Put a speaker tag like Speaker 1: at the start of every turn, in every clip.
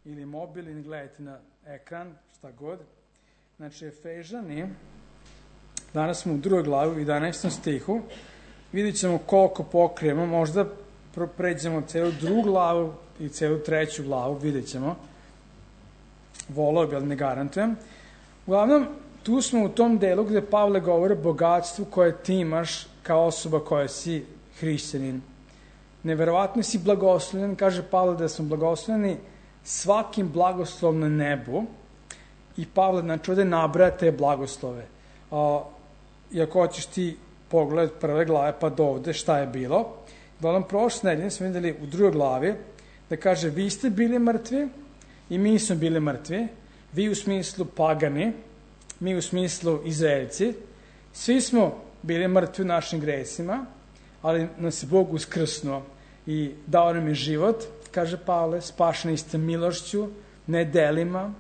Speaker 1: ili mobil ili gledajte na ekran, šta god. Znači, Efežani, danas smo u 2. glavi, u 11. stihu, vidjet ćemo koliko pokrijemo, možda pređemo celu 2. glavu i celu 3. glavu, vidjet ćemo. Volao bi, ali ne garantujem. Uglavnom, tu smo u tom delu gde Pavle govori o bogatstvu koje ti imaš kao osoba koja si hrišćanin. Neverovatno si blagoslovljen, kaže Pavle da smo blagoslovljeni svakim blagoslovom na nebu i Pavle, znači, ovde nabraja te blagoslove. I ako hoćeš ti pogled 1. glave pa do ovde šta je bilo, uglavnom prošle nedelje smo videli u 2. glavi da kaže vi ste bili mrtvi i mi smo bili mrtvi, vi u smislu pagani, mi u smislu Izraelci, svi smo bili mrtvi u našim gresima, ali nas je Bog uskrsnuo i dao nam je život, kaže Pavle, spašeni ste milošću, ne delima,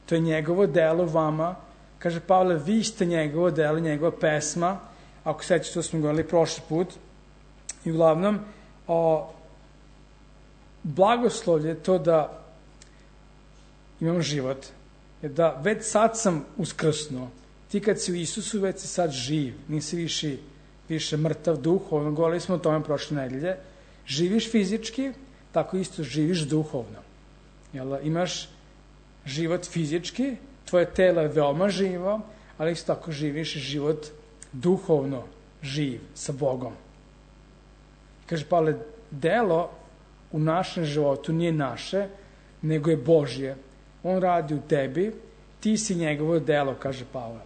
Speaker 1: to je njegovo delo vama, kaže Pavle, vi ste njegovo delo, njegova pesma, ako sećate što smo govorili prošli put, i uglavnom, blagoslovlje to da imam život, je da već sad sam uskrsnuo. Ti kad si u Isusu, već si sad živ, nisi više mrtav duhovno, govorili smo o tome prošle nedelje. Živiš fizički, tako isto živiš duhovno. Jel, imaš život fizički, tvoje telo je veoma živo, ali isto tako živiš život duhovno živ sa Bogom. Kaže Pavle, delo u našem životu nije naše, nego je Božje. On radi u tebi, ti si njegovo delo, kaže Pavle.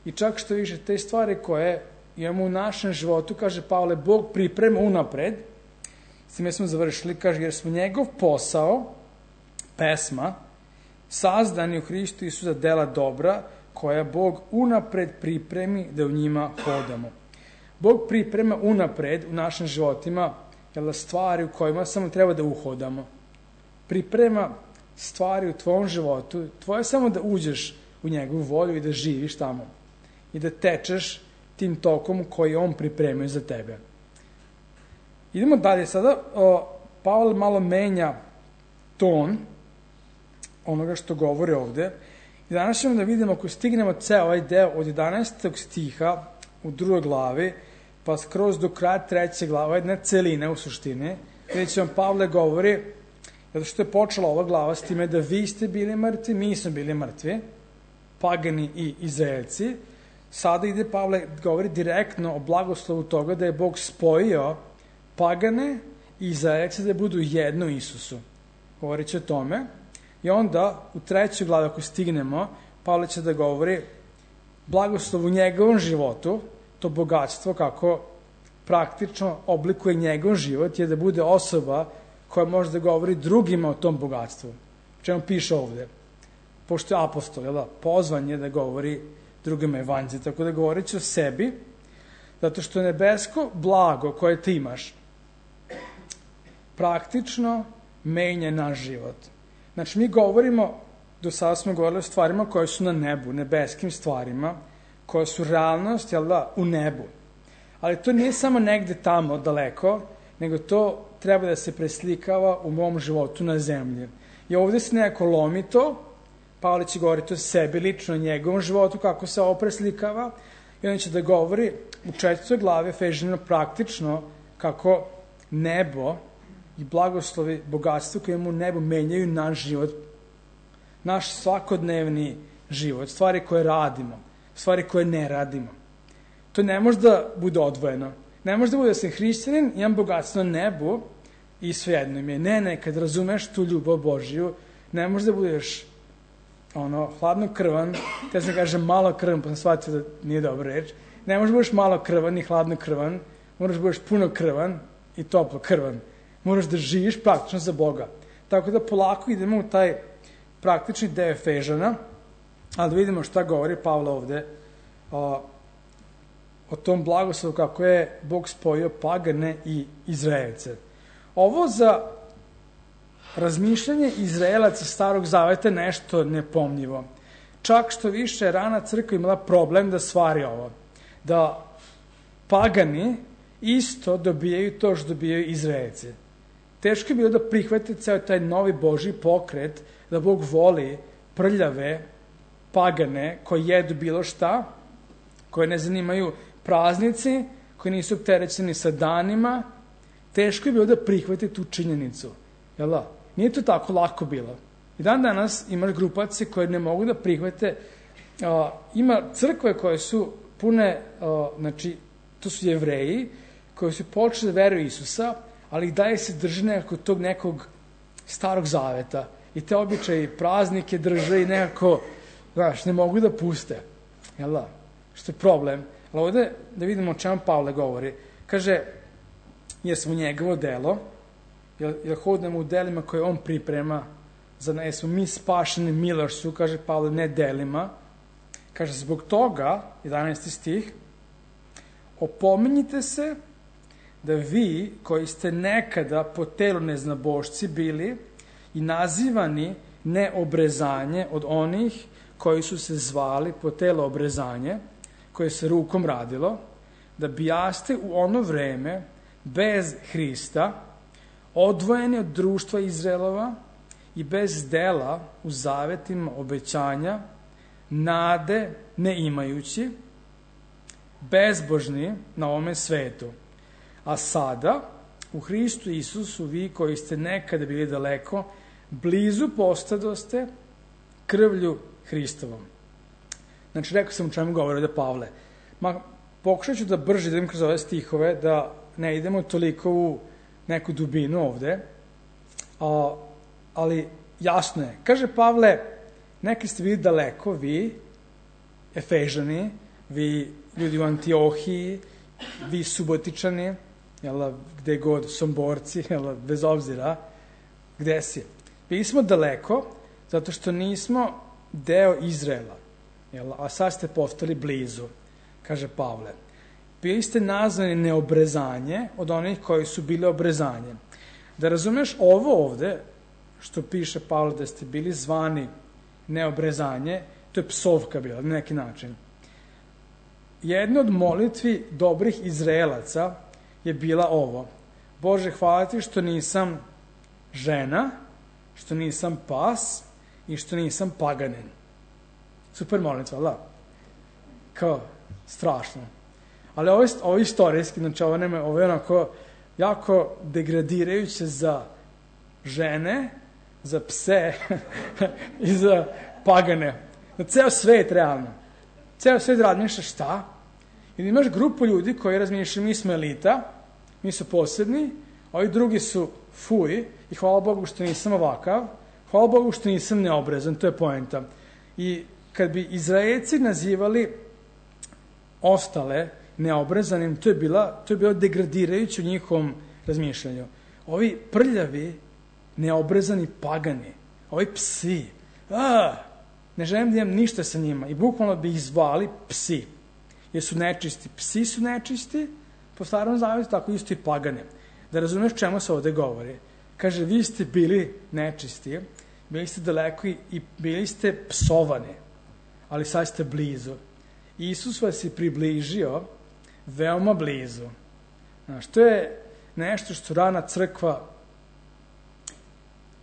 Speaker 1: I čak što više, te stvari koje imamo u našem životu, kaže Pavle, Bog priprema unapred, s time smo završili, kaže, jer smo njegov posao, pesma, sazdani u Hristu Isusu za dela dobra, koja Bog unapred pripremi da u njima hodamo. Bog priprema unapred u našim životima stvari u kojima samo treba da uhodamo. Priprema stvari u tvojom životu, tvoje samo da uđeš u njegovu volju i da živiš tamo. I da tečeš tim tokom koji on pripremio za tebe. Idemo dalje. Sada Pavle malo menja ton onoga što govori ovde. I danas ćemo da vidimo, ako stignemo ceo ovaj deo od 11. stiha u 2. glavi, pa skroz do kraja 3. glava, jedna celina u suštini, gde će vam Pavle govori, zato što je počela ova glava s time da vi ste bili mrtvi, mi smo bili mrtvi, pagani i Izraelci. Sada ide Pavle, govori direktno o blagoslovu toga da je Bog spojio pagane i Izraelci da budu jedno u Isusu. Govorit će o tome. I onda u 3. glavi, ako stignemo, Pavle će da govori blagoslov u njegovom životu, to bogatstvo kako praktično oblikuje njegov život, je da bude osoba koja može da govori drugima o tom bogatstvu. Čemu piše ovde? Pošto je apostol, pozvan je da govori drugima evanđelje, tako da govorit će o sebi, zato što nebesko blago koje ti imaš praktično menja naš život. Znači, mi govorimo, do sada smo govorili o stvarima koje su na nebu, nebeskim stvarima, koje su realnost, u nebu. Ali to nije samo negde tamo, daleko, nego to treba da se preslikava u mom životu na zemlji. I ovde se nekako lomi to, Pavle će govoriti o sebi, lično o njegovom životu, kako se ovo preslikava, i on će da govori u 4. glavi Efežanima praktično kako nebo i blagoslovi, bogatstvo koje imamo u nebu menjaju naš život, naš svakodnevni život, stvari koje radimo, stvari koje ne radimo. To ne može da bude odvojeno. Ne može da bude da sam hrišćanin, imam bogatstvo na nebu i svejedno mi je. Ne, kad razumeš tu ljubav Božiju, ne može da budeš hladnokrvan, te sam kažem malo krvan, pa sam shvatio da nije dobra reč. Ne može da budeš malo krvan i hladnokrvan, moraš da budeš puno krvan i toplo krvan. Moraš da živiš praktično za Boga. Tako da polako idemo u taj praktični deo Efežana, ali da vidimo šta govori Pavle ovde o tom blagoslovu kako je Bog spojio pagane i Izraelce. Ovo za razmišljanje Izraelaca Starog Zaveta nešto nepomnjivo. Čak što više rana crkva imala problem da stvari ovo. Da pagani isto dobijaju to što dobijaju Izraelci. Teško je bilo da prihvate ceo taj novi Božji pokret, da Bog voli prljave, pagane, koji jedu bilo šta, koje ne zanimaju praznici, koji nisu opterećeni sa danima. Teško je bilo da prihvate tu činjenicu. Jel da? Nije to tako lako bilo. I dan danas imaš grupacije koje ne mogu da prihvate. Ima crkve koje su pune, znači, to su Jevreji, koji su počeli da veruju Isusa, ali i dalje se drže nekog starog zaveta. I te običaje, praznike drže i nekako, znaš, ne mogu da puste. Jel da? Što je problem. Ali ovde da vidimo o čemu Pavle govori. Kaže, jer smo njegovo delo, jer hodamo u delima koje on priprema, jer smo mi spašeni milošću, kaže Pavle, ne delima. Kaže, zbog toga, 11. stih, opominjite se da vi, koji ste nekada po telu neznabošci bili i nazivani neobrezanje od onih koji su se zvali po telo obrezanje, koje se rukom radilo, da bijaste u ono vreme bez Hrista, odvojeni od društva Izraelova i bez dela u zavetima obećanja, nade ne imajući, bezbožni na ovome svetu. A sada, u Hristu Isusu, vi koji ste nekada bili daleko, blizu postadoste krvlju Hristovom. Znači, rekao sam o čemu govori da Pavle. Pokušat ću da brže idem kroz ove stihove, da ne idemo toliko u neku dubinu ovde, ali jasno je. Kaže Pavle, neki ste bili daleko, vi, Efežani, vi ljudi u Antiohiji, vi Subotičani, gde god, Somborci, bez obzira gde si. Bili smo daleko, zato što nismo deo Izraela, a sad ste postali blizu, kaže Pavle. Bili ste nazvani neobrezanje od onih koji su bili obrezanje. Da razumeš ovo ovde, što piše Pavle da ste bili zvani neobrezanje, to je psovka bila, na neki način. Jedna od molitvi dobrih Izraelaca je bila ovo. Bože, hvala ti što nisam žena, što nisam pas i što nisam paganin. Super molitva, da? Kao, strašno. Ali ovo je istorijski, znači ovo je onako jako degradirajuće za žene, za pse i za pagane. Na ceo svet, realno. Ceo svet razmišlja šta? I imaš grupu ljudi koji razmišljaju, mi smo elita, mi su posebni, ovi drugi su fuj i hvala Bogu što nisam ovakav, hvala Bogu što nisam neobrezan, to je poenta. I kad bi Izraelci nazivali ostale neobrazanim, to je bilo degradirajuće u njihovom razmišljanju. Ovi prljavi, neobrezani pagani, ovi psi, ne želim da imam ništa sa njima i bukvalno bi ih zvali psi, jer su nečisti. Psi su nečisti, po starom zavetu, tako isto i pagane. Da razumeš čemu se ovde govori. Kaže, vi ste bili nečisti, bili ste daleko i bili ste psovani, ali sad ste blizu. Isus vas je približio veoma blizu. Znaš, to je nešto što rana crkva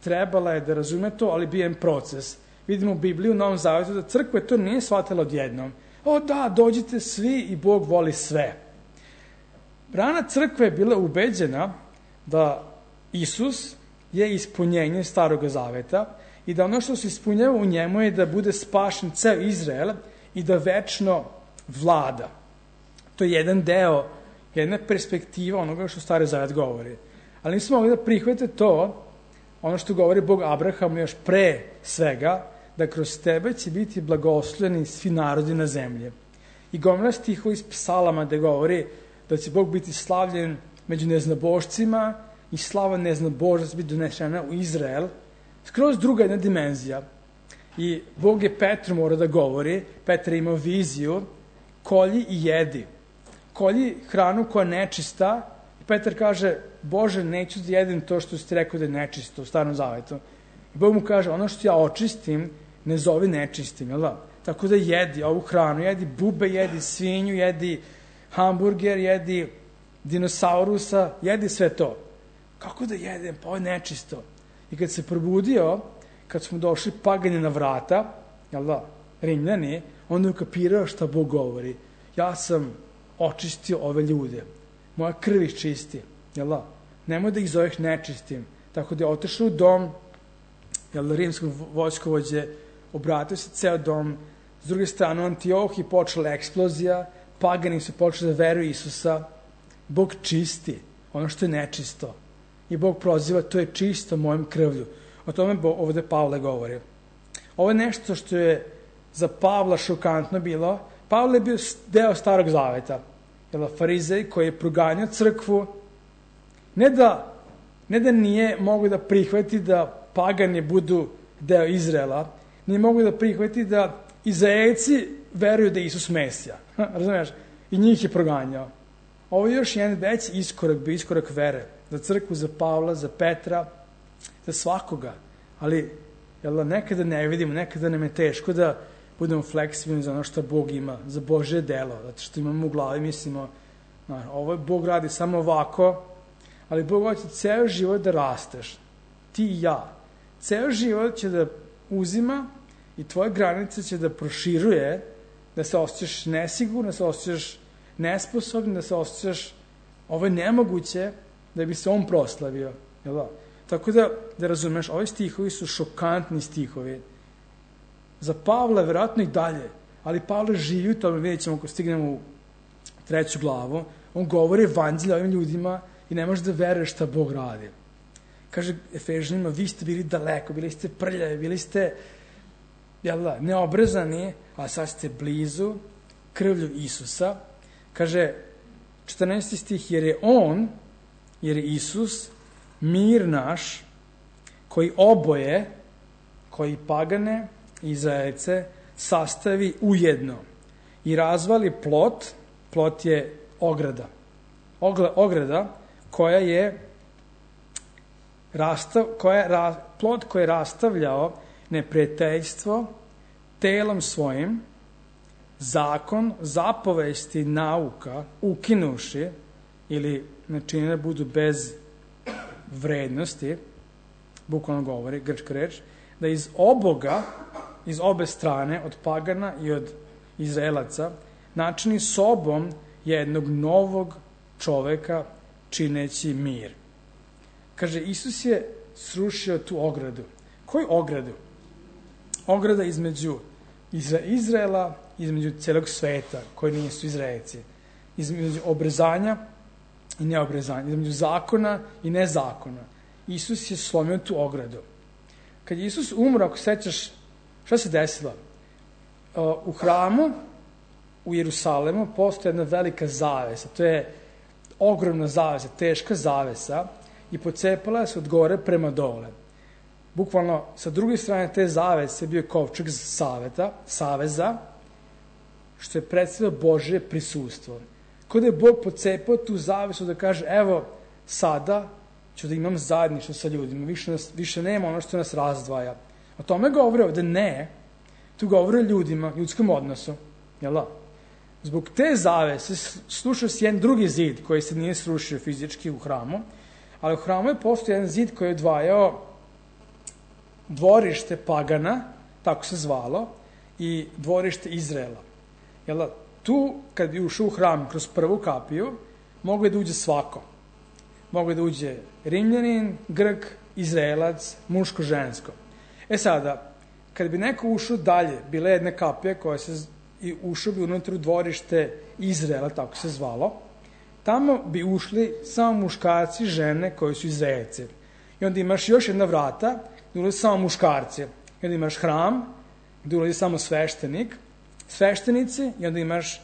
Speaker 1: trebala je da razume to, ali bio je proces. Vidimo u Bibliji, u Novom Zavetu, da crkva to nije shvatila odjednom. Da, dođite svi i Bog voli sve. Rana crkva je bila ubeđena da Isus je ispunjenje Starog Zaveta i da ono što se ispunjava u njemu je da bude spašen ceo Izrael i da večno vlada. To je jedan deo, jedna perspektiva onoga što Stari Zavet govori. Ali nismo mogli da prihvate to, ono što govori Bog Abrahamu još pre svega, da kroz tebe će biti blagoslovljeni svi narodi na zemlji. I gomila stihova iz psalama da govori da će Bog biti slavljen među neznabošcima i slava neznabožac biti donešena u Izrael. Skroz druga jedna dimenzija. I Bog je Petru mora da govori, Petar je imao viziju, kolji i jedi. Kolji hranu koja je nečista. I Petar kaže, Bože, neću da jedem to što si ti rekao da je nečisto u Starom Zavetu. I Bog mu kaže, ono što ja očistim, ne zovi nečistim, jel da? Tako da jedi ovu hranu, jedi bube, jedi svinju, jedi hamburger, jedi dinosaurusa, jedi sve to. kako da jedem, pa ovo je nečisto. I kad se probudio, kad smo došli pagani na vrata, jel da, Rimljani, onda je ukapirao šta Bog govori. Ja sam očistio ove ljude. Moja krv ih čisti, jel da? Nemoj da ih zoveš nečistim. Tako da je otišao u dom, jel da, rimskog vojskovođe, obratio se ceo dom, s druge strane u Antiohiji počela eksplozija, pagani su počeli da veruju Isusa, Bog čisti ono što je nečisto. I Bog proziva, to je čisto mojom krvlju. O tome ovde Pavle govori. Ovo je nešto što je za Pavla šokantno bilo. Pavle je bio deo Starog zaveta. Farizej koji je proganjao crkvu. Ne da nije mogu da prihvati da pagani budu deo Izraela, nije mogu da prihvati da Izraelci veruju da je Isus Mesija. Razumiješ? I njih je proganjao. Ovo je još jedan veći iskorak, bio iskorak vere. Za crkvu, za Pavla, za Petra, za svakoga. Ali nekada ne vidimo, nekada nam je teško da budemo fleksibilni za ono što Bog ima, za Božje delo. Zato što imamo u glavi, mislimo, ovo je Bog radi samo ovako, ali Bog hoće ceo život da rasteš. Ti i ja. Ceo život će da uzima i tvoje granice će da proširuje, da se osjećaš nesigurno, da se osjećaš nesposobno, da se osjećaš ovo je nemoguće da bi se on proslavio. Jel da? Tako da razumeš, ovi stihovi su šokantni stihovi. Za Pavla je vjerojatno i dalje, ali Pavle živi u tome, vidjet ćemo ako stignemo u 3. glavu, on govori evanđelje ovim ljudima i ne može da veruje šta Bog radi. Kaže Efežanima, vi ste bili daleko, bili ste prljavi, bili ste neobrezani, a sad ste blizu krvlju Isusa. Kaže 14. stih, jer je Isus mir naš, koji oboje, koji pagane i Izraelce sastavi ujedno i razvali plot je ograda. Ograda koja je plot koji je rastavljao neprijateljstvo telom svojim, zakon, zapovesti, nauka, ukinuši ili načini da budu bez vrednosti, bukvalno govori, grčka reč, da iz obe strane, od pagana i od Izraelaca, načini sobom jednog novog čoveka čineći mir. Kaže, Isus je srušio tu ogradu. Koju ogradu? Ograda između Izraela, između celog sveta, koji nisu Izraelci. Između obrezanja i neobrezanja. Između zakona i nezakona. Isus je slomio tu ogradu. Kad je Isus umro, ako sećaš, šta se desilo? U hramu, u Jerusalemu, postoje jedna velika zavesa. To je ogromna zavesa, teška zavesa i pocepala se od gore prema dole. Bukvalno, sa druge strane te zavese bio je kovčeg saveza, što je predstavljao Božje prisustvo. Kao da je Bog pocepao tu zavesu da kaže, evo, sada ću da imam zajedništvo sa ljudima, više nema ono što nas razdvaja. O tome govori ovde ne, tu govori o ljudima, ljudskom odnosu, jel da? Zbog te zavese slušao se jedan drugi zid koji se nije srušio fizički u hramu, ali u hramu je postojao jedan zid koji je odvajao dvorište pagana, tako se zvalo, i dvorište Izraela. Jel da? Tu, kad bi ušao u hram kroz prvu kapiju, mogo je da uđe svako. Mogo je da uđe Rimljanin, Grk, Izraelac, muško, žensko. Sada, kad bi neko ušao dalje, bila je jedna kapija koja i ušao bi unutra u dvorište Izraela, tako se zvalo, tamo bi ušli samo muškarci, žene koji su Izraelci. I onda imaš još jedna vrata gde ulazi samo muškarci. I onda imaš hram gde ulazi samo sveštenici i onda imaš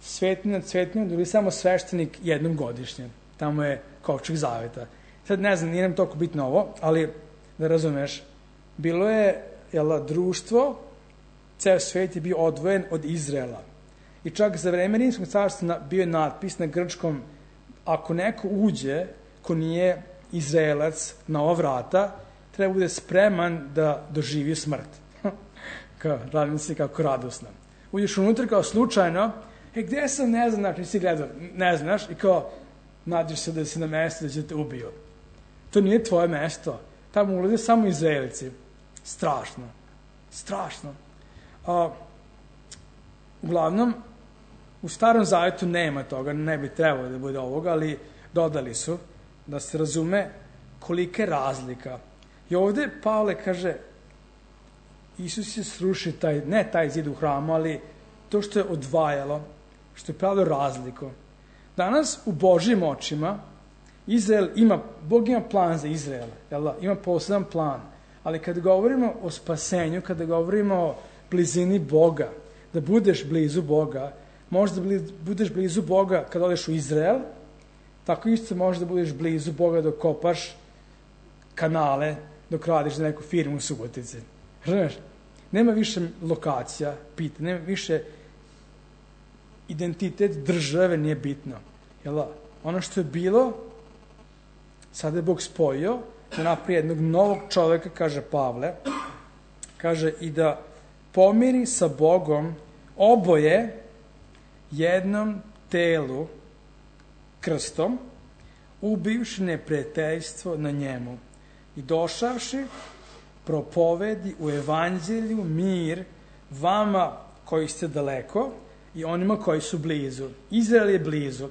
Speaker 1: svetinja gde ulazi samo sveštenik jednom godišnje. Tamo je kovčeg zaveta. Sad ne znam, nije nam toliko bitno ovo, ali da razumeš, bilo je društvo, ceo svet je bio odvojen od Izraela. I čak za vreme Rimskog carstva bio je natpis na grčkom, ako neko uđe ko nije Izraelac na ova vrata, treba bude spreman da doživi smrt. Radim se kako radosno. Uđeš unutra kao slučajno, gde sam, ne znam, nisi gledao, ne znaš, i kao nađeš se da si na mestu da će te ubiju. To nije tvoje mesto. Tamo ulaze samo Izraelci. Strašno. Uglavnom, u Starom Zavetu nema toga, ne bi trebalo da bude ovoga, ali dodali su da se razume kolika je razlika. I ovde Pavle kaže, Isus je srušio ne taj zid u hramu, ali to što je odvajalo, što je pravilo razliku. Danas u Božjim očima Bog ima plan za Izrael, ima poseban plan, ali kada govorimo o spasenju, kada govorimo o blizini Boga, da budeš blizu Boga, možda budeš blizu Boga kada odeš u Izrael, tako isto možda budeš blizu Boga dok kopaš kanale, dok radiš za neku firmu u Subotici. Znaš, nema više lokacija, nema više identitet države, nije bitno. Ono što je bilo, sada je Bog spojio, da napravi jednog novog čoveka, kaže Pavle, kaže i da pomiri sa Bogom oboje jednom telu krstom, ubivši neprijateljstvo na njemu i došavši propovedi u evanđelju mir vama koji ste daleko i onima koji su blizu. Izrael je blizu.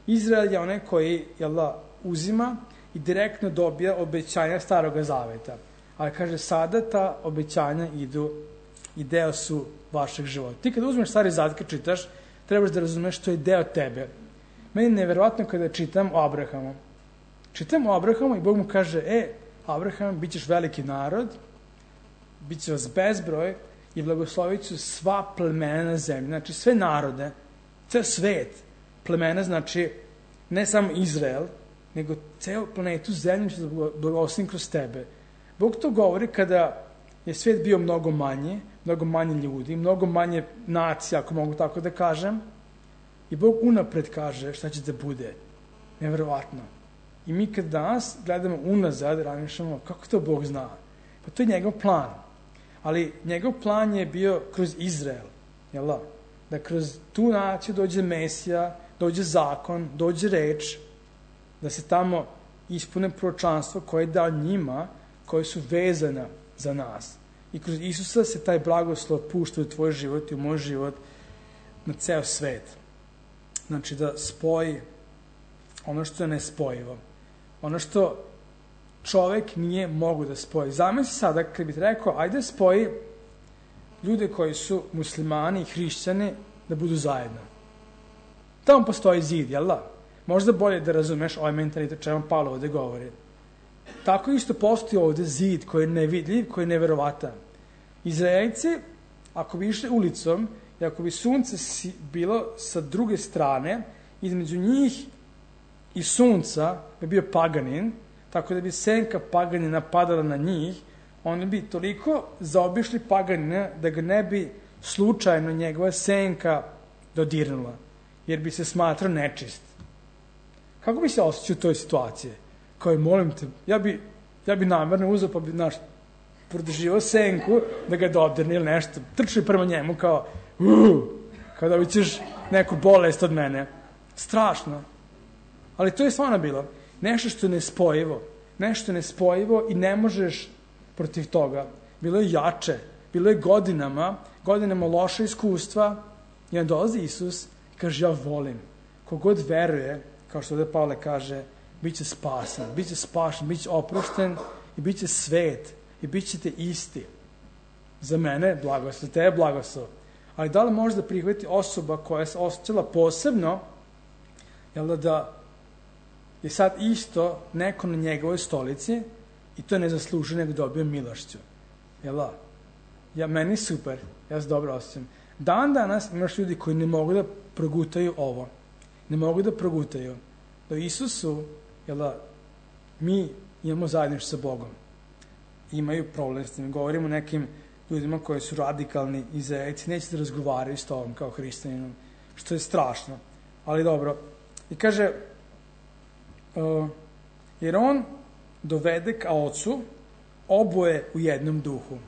Speaker 1: Izrael je onaj koji uzima i direktno dobija obećanja Staroga Zaveta. Ali kaže, sada ta obećanja idu i deo su vašeg života. Ti kada uzmeš Stari Zavet, kad čitaš, trebaš da razumeš što je deo tebe. Meni je neverovatno kada čitam o Abrahamu. Čitam o Abrahamu i Bog mu kaže, Abraham, bit ćeš veliki narod, bit će vas bezbroj i blagoslovit ću sva plemena na zemlji. Znači sve narode, ceo svet. Plemena znači ne samo Izrael, nego ceo planetu zemlju će da blagoslovim kroz tebe. Bog to govori kada je svet bio mnogo manje ljudi, mnogo manje nacija, ako mogu tako da kažem. I Bog unapred kaže šta će da bude. Neverovatno. I mi kad danas gledamo unazad, razmišljamo kako to Bog zna. Pa to je njegov plan. Ali njegov plan je bio kroz Izrael. Da kroz tu naciju dođe Mesija, dođe zakon, dođe reč, da se tamo ispune proročanstvo koje je dao njima, koje su vezana za nas. I kroz Isusa se taj blagoslov pušta u tvoj život i u moj život na ceo svet. Znači da spoji ono što je nespojivo. Ono što čovek nije mogu da spoji. Zamisli sada kad bih rekao, ajde spoji ljude koji su muslimani i hrišćani da budu zajedno. Tamo postoji zid, jel da? Možda bolje da razumeš ovaj mentalitet čemu Pavle ovde govori. Tako isto postoji ovde zid koji je nevidljiv, koji je neverovatan. Izraelci, ako bi išli ulicom i ako bi sunce bilo sa druge strane, između njih i sunca bi bio paganin, tako da bi senka paganina padala na njih, oni bi toliko zaobišli paganina da ga ne bi slučajno njegova senka dodirnula, jer bi se smatrao nečist. Kako bi se osjećao u toj situaciji? Kao je, molim te, ja bi namerno uzeo pa bi, produživao senku da ga dodirne ili nešto. Trčio prema njemu kao da bi ćeš neku bolest od mene. Strašno. Ali to je stvarno bilo. Nešto što je nespojivo. Nešto nespojivo i ne možeš protiv toga. Bilo je jače. Bilo je godinama loše iskustva i onda dolazi Isus i kaže, ja volim. Kogod veruje, kao što ovde Pavle kaže, bit će spasen, bit će spašen, bit će oprošten i bit će svet i bit ćete isti. Za mene blagoslov, te je blagoslov. Ali da li može da prihvati osoba koja se osjećala posebno, da je sad isto neko na njegovoj stolici i to ne zaslužuje nego dobio milošću. Meni super, ja se dobro osjećam. Dan danas imaš ljudi koji ne mogu da progutaju ovo. Ne mogu da progutaju. Da Isusu, mi imamo zajedništvo sa Bogom. Imaju problem s tim. Govorimo o nekim ljudima koji su radikalni Izraelci, neće da razgovaraju s tobom kao hrišćaninom, što je strašno. Ali dobro. I kaže, jer on dovede ka ocu oboje u jednom duhu.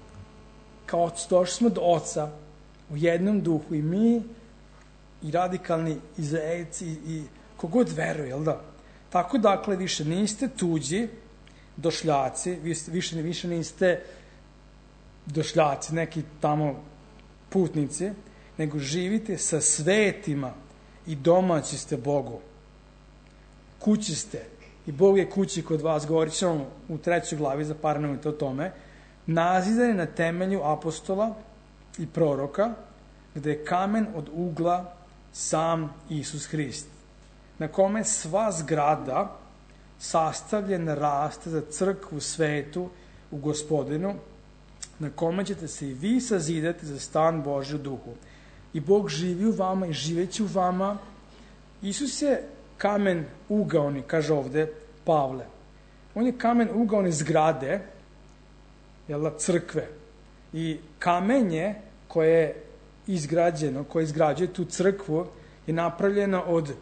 Speaker 1: Kao ocu, došli smo do oca u jednom duhu i mi i radikalni Izraelci i kogod veruje, jel da? Tako dakle više niste tuđi, došljaci, više niste došljaci, neki tamo putnici, nego živite sa svetima i domaći ste Bogu. Kući ste i Bog je kući kod vas, govorit ćemo u 3. glavi za par minuta o tome, nazidani na temelju apostola i proroka, gde je kamen od ugla sam Isus Hrist, na kome sva zgrada sastavljena raste za crkvu svetu u Gospodinu, na kome ćete se i vi sazidati za stan Božji u duhu. I Bog živi u vama i živeće u vama. Isus je kamen ugaoni, kaže ovde Pavle. On je kamen ugaoni zgrade, crkve. I kamenje koje je izgrađeno, koje izgrađuje tu crkvu, je napravljeno od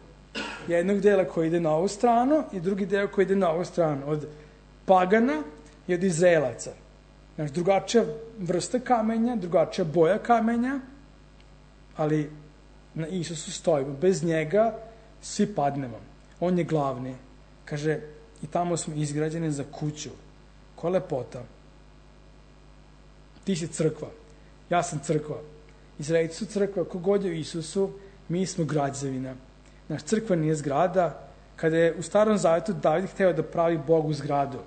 Speaker 1: jednog dela koji ide na ovu stranu i drugi deo koji ide na ovu stranu. Od pagana i od Izraelaca. Znači, drugačija vrsta kamenja, drugačija boja kamenja, ali na Isusu stojimo. Bez njega svi padnemo. On je glavni. Kaže, i tamo smo izgrađeni za kuću. Koja lepota. Ti si crkva. Ja sam crkva. Izraelci su crkva. Kogod je u Isusu, mi smo građevina. Naš crkva nije zgrada. Kada je u Starom Zavetu David hteo da pravi Bogu zgradu,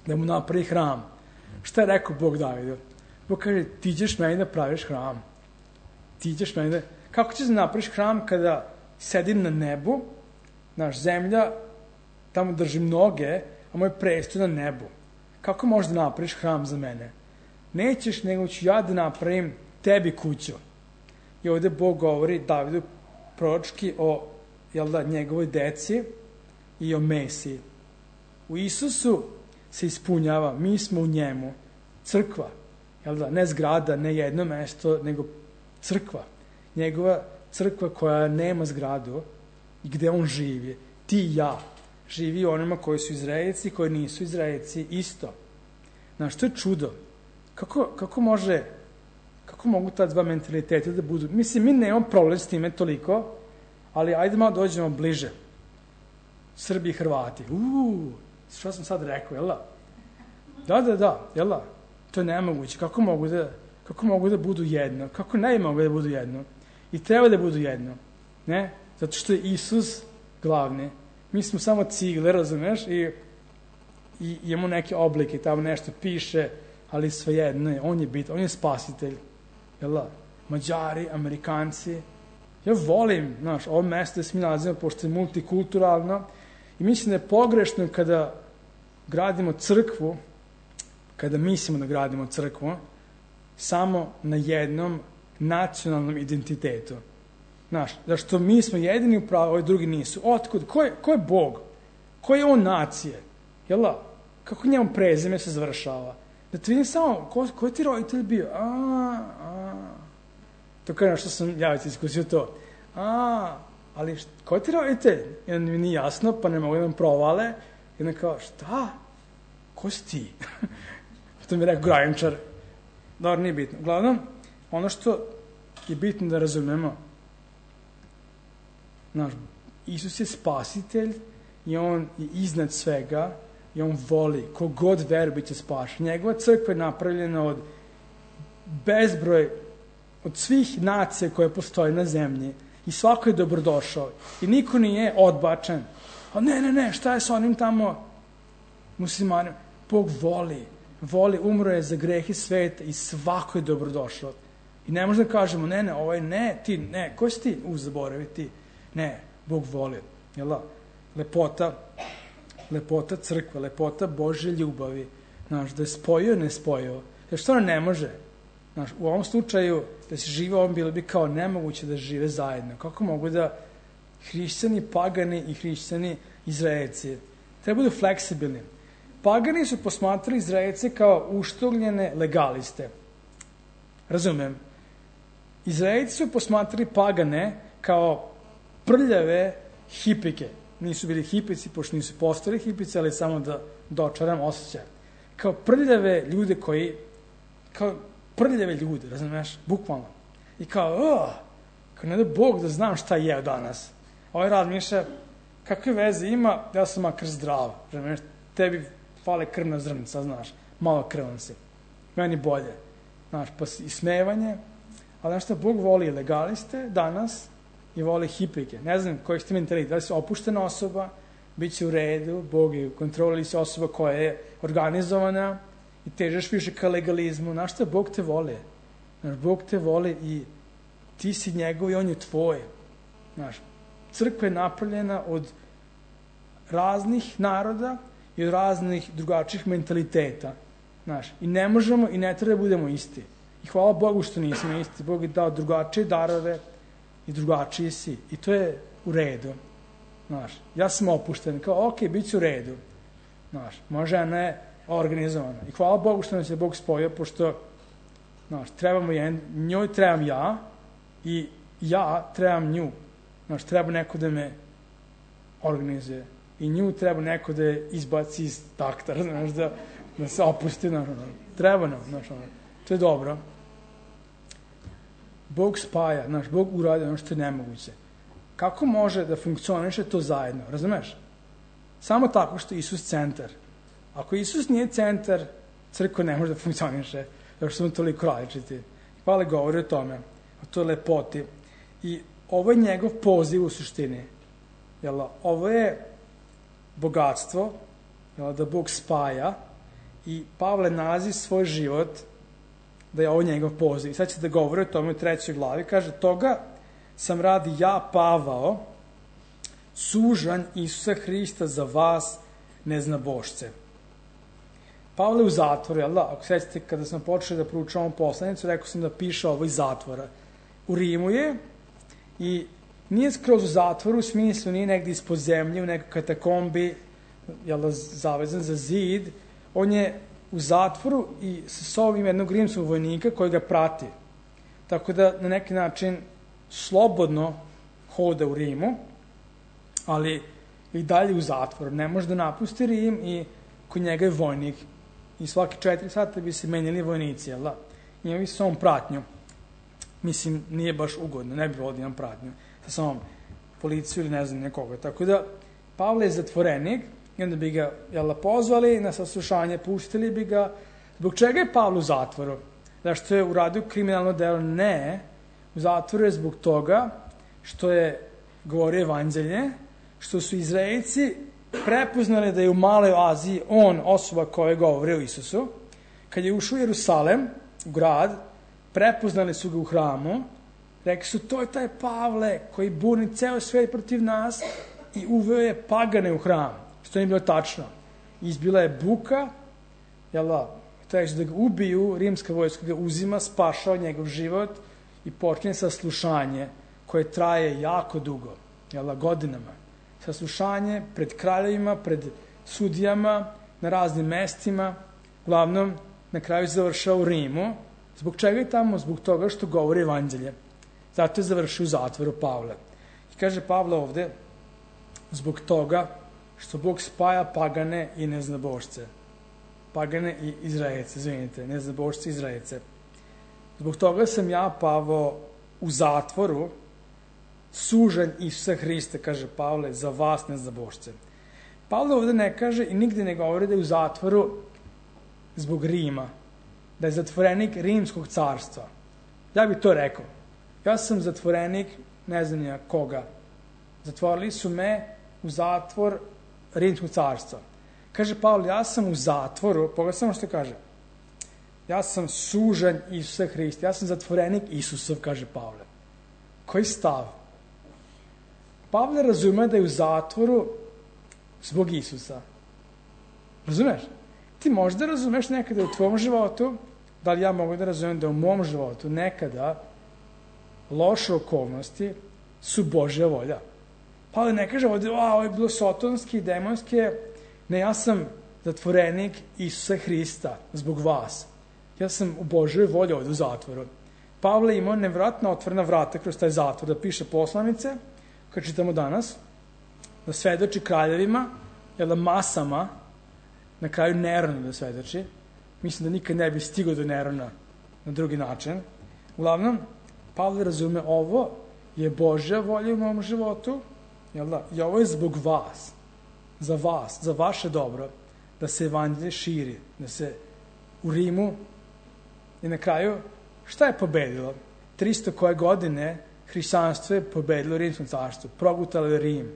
Speaker 1: da mu napravi hram, šta je rekao Bog Davidu? Bog kaže, ti ćeš meni da praviš hram. Ti ćeš meni da... Kako ćeš da napraviš hram kada sedim na nebu, naš zemlja, tamo držim noge, a moj prestoj na nebu? Kako možeš da napraviš hram za mene? Nećeš, nego ću ja da napravim tebi kuću. I ovde Bog govori Davidu proročki o njegovoj deci i o Mesiji. U Isusu se ispunjava, mi smo u njemu, crkva, ne zgrada, ne jedno mesto, nego crkva. Njegova crkva koja nema zgradu i gde on živi. Ti i ja. Živi onima koji su Izraelci, koji nisu Izraelci, isto. Znaš, to je čudo. Kako mogu ta dva mentaliteta da budu? Mislim, mi nemamo problem s time toliko, ali ajde malo dođemo bliže. Srbi i Hrvati. Što sam sad rekao, jel da? Da, jel da? To je nemoguće. Kako mogu da budu jedno? Kako ne mogu da budu jedno? I treba da budu jedno. Ne? Zato što je Isus glavni. Mi smo samo cigle, razumeš? I imamo neke oblike, tamo nešto piše, ali svejedno je. On je bitan, on je spasitelj. Jel da? Mađari, Amerikanci. Ja volim, ovo mesto da se mi nalazimo, pošto je multikulturalno, i mislim da je pogrešno kada gradimo crkvu, kada mislimo da gradimo crkvu, samo na jednom nacionalnom identitetu. Zašto mi smo jedini u pravu, ovi drugi nisu. Otkud? Ko je Bog? Ko je on nacije? Jel da? Kako njemu prezime se završava? Da ti vidim samo, ko je ti roditelj bio? To kao što sam ja već iskusio to. Ali ko je ti roditelj? Jedan mi nije jasno, pa ne mogu da vam provale. I onda kao, šta? Ko si ti? To mi je rekao Grajenčar. Dobro, nije bitno. Uglavnom, ono što je bitno da razumemo, Isus je spasitelj i on je iznad svega i on voli, kogod veruje bit će spašen. Njegova crkva je napravljena od bezbroj, od svih nacija koje postoje na zemlji i svako je dobrodošao i niko nije odbačen. Ne, šta je sa onim tamo muslimanima? Bog voli, umro je za grehe sveta i svako je dobrodošao. I ne možda kažemo, ne, ti, ne, ko si ti? Zaboravi ti. Ne, Bog voli. Lepota crkve, lepota Božje ljubavi. Da je spojio, ne spojio. Jer što ne može? U ovom slučaju, da se žive ovom, bilo bi kao nemoguće da žive zajedno. Kako mogu da hrišćani, pagani i hrišćani Izraelci treba budu fleksibilni. Pagani su posmatrali Izraelce kao uštogljene legaliste. Razumem. Izraelci su posmatrali pagane kao prljave hipike. Nisu bili hipici, pošto nisu postali hipici, ali samo da dočaram osjećaj. Kao prljave ljude razumeš, bukvalno. I kao ne da Bog da znam šta je jeo danas. Ovaj razmišlja, kakve veze ima, ja sam makar zdrav. Razumeš, tebi fale krvna zrnca, znaš, malo krvan si. Meni bolje. Znaš, pa ismevanje. Ali znaš šta, Bog voli legaliste danas i voli hipike. Ne znam koji ste mentalitet, da li si opuštena osoba, bit će u redu, Bog je u kontroli, si osoba koja je organizovana i težeš više ka legalizmu. Znaš šta, Bog te voli. Znaš, Bog te voli i ti si njegov i on je tvoj. Znaš, crkva je napravljena od raznih naroda i od raznih drugačijih mentaliteta. Znaš, i ne možemo i ne treba da budemo isti. I hvala Bogu što nismo isti. Bog je dao drugačije darove i drugačiji si. I to je u redu. Znaš, ja sam opušten. Kao, ok, bit će u redu. Znaš, moja žena je organizovana. I hvala Bogu što nas je Bog spojio, pošto, znaš, njoj trebam ja i ja trebam nju. Znaš, treba neko da me organizuje. I nju treba neko da je izbaci iz taktara, znaš, da se opusti, znaš, treba nam, znaš, to je dobro. Bog spaja, znaš, Bog uradio ono što je nemoguće. Kako može da funkcioniše to zajedno, razumeš? Samo tako što je Isus centar. Ako Isus nije centar, crkva ne može da funkcioniše, zato što smo toliko različiti. Pavle govori o tome, o toj lepoti. I ovo je njegov poziv u suštini. Jel, ovo je bogatstvo, jel, da Bog spaja i Pavle nalazi svoj život da je ovo njegov poziv. I sad će da govori o tome u 3. glavi. Kaže, toga sam radi ja, Pavao, sužanj Isusa Hrista za vas, neznabošce. Pavle u zatvoru, jel da? Ako sećate, kada sam počeo da proučavam poslanicu, rekao sam da piše ovo iz zatvora. U Rimu je i nije skroz u zatvoru, u smislu nije negdje ispod zemlje, u nekoj katakombi, jel da, zavezan za zid. On je u zatvoru i sa sobom jednog rimskog vojnika koji ga prati. Tako da na neki način slobodno hoda u Rimu, ali i dalje u zatvoru. Ne može da napusti Rim i kod njega je vojnik. I svaki 4 sata bi se menjali vojnici, jel da? Imali su samom pratnju. Mislim, nije baš ugodno, ne bi volio da imam pratnju sa samom policiju ili ne znam nekoga. Tako da, Pavle je zatvorenik i onda bi ga, jel da, pozvali na saslušanje, pustili bi ga. Zbog čega je Pavle u zatvoru? Zašto je uradio kriminalno delo? Ne. U zatvoru je zbog toga što je govorio evanđelje, što su Izraelci prepoznali da je u Maloj Aziji on osoba koja govori o Isusu. Kad je ušao u Jerusalem, u grad, prepoznali su ga u hramu, rekli su, to je taj Pavle koji buni ceo svet protiv nas i uveo je pagane u hram, što nije bilo tačno. Izbila je buka, jel da, traži da ga ubiju, rimska vojska ga uzima, spašava njegov život i počne saslušanje koje traje jako dugo, jel da, godinama. Saslušanje pred kraljevima, pred sudijama, na raznim mestima, uglavnom na kraju završava u Rimu. Zbog čega je tamo? Zbog toga što govori evanđelje. Zato je završio u zatvoru Pavle. I kaže Pavle ovde, zbog toga što Bog spaja pagane i neznabošce. Pagane i Izraelce, izvinite, neznabošce i Izraelce. Zbog toga sam ja, Pavao, u zatvoru, sužanj Isusa Hrista, kaže Pavle, za vas neznabošce. Pavle ovde ne kaže i nigde ne govori da je u zatvoru zbog Rima, da je zatvorenik Rimskog carstva. Ja bih to rekao. Ja sam zatvorenik, ne znam nija koga. Zatvorili su me u zatvor Rimskog carstva. Kaže Pavle, ja sam u zatvoru, pogledaj samo što kaže. Ja sam sužanj Isusa Hrista, ja sam zatvorenik Isusov, kaže Pavle. Koji stav? Pavle razume da je u zatvoru zbog Isusa. Razumeš? Ti možda razumeš nekada u tvom životu, da li ja mogu da razumem da u mom životu nekada loše okolnosti su Božja volja. Pavle ne kaže ovdje, ovo je bilo sotonski, demonski, ne, ja sam zatvorenik Isusa Hrista zbog vas. Ja sam u Božjoj volji ovdje u zatvoru. Pavle imao nevratno otvorena vrata kroz taj zatvor, da piše poslanice, kad čitamo danas, da svedoči kraljevima, jel da masama, na kraju Neronu da svedoči. Mislim da nikad ne bi stigao do Nerona na drugi način. Uglavnom, Pavle razume, ovo je Božja volja u mom životu, jel da? I ovo je zbog vas, za vaše dobro. da se evanđelje širi, da se u Rimu i na kraju šta je pobedilo? 300 koje godine hrišćanstvo je pobedilo Rimsko carstvo, progutalo je Rim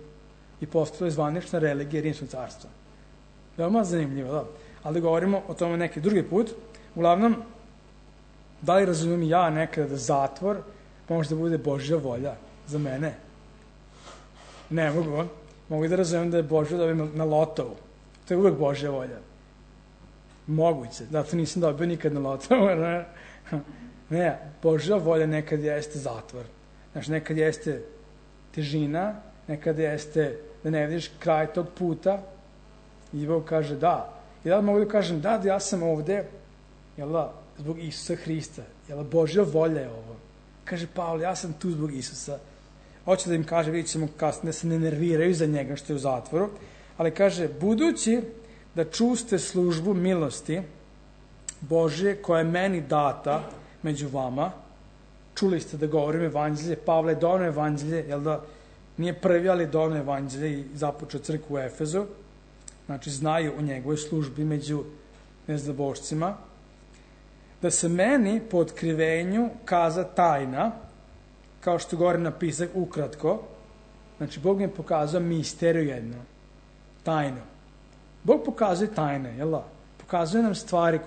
Speaker 1: i postalo je zvanična religija Rimskog carstva. Veoma zanimljivo, da. Ali govorimo o tome neki drugi put. Uglavnom, da li razumijem ja nekada da zatvor može da bude Božja volja za mene? Ne mogu. Mogu da razumijem da je Božja dobio na lotovu. To je uvek Božja volja. Moguće. Zato nisam dobio nikad na lotovu. Ne, Božja volja nekad jeste zatvor. Znači, nekad jeste težina, nekad jeste da ne vidiš kraj tog puta i Bog kaže da. I da mogu da kažem da ja sam ovde, jel da, zbog Isusa Hrista. Jel da, Božja volja je ovo. Kaže Pavle, ja sam tu zbog Isusa. Hoće da im kaže, vidjet ćemo kasnije, da se ne nerviraju za njega što je u zatvoru, ali kaže, budući da čuste službu milosti Božje koja je meni data među vama, čuli ste da govorim evanđelje, Pavle je doneo evanđelje, jel da, nije prvi, ali doneo evanđelje i započeo crkvu u Efezu, znači znaju o njegovoj službi među neznabošcima, da se meni po otkrivenju kaza tajna, kao što govorim napisak ukratko, znači Bog mi pokazao misteriju jedno, tajno. Bog pokazuje tajne, jel da? Pokazuje nam stvari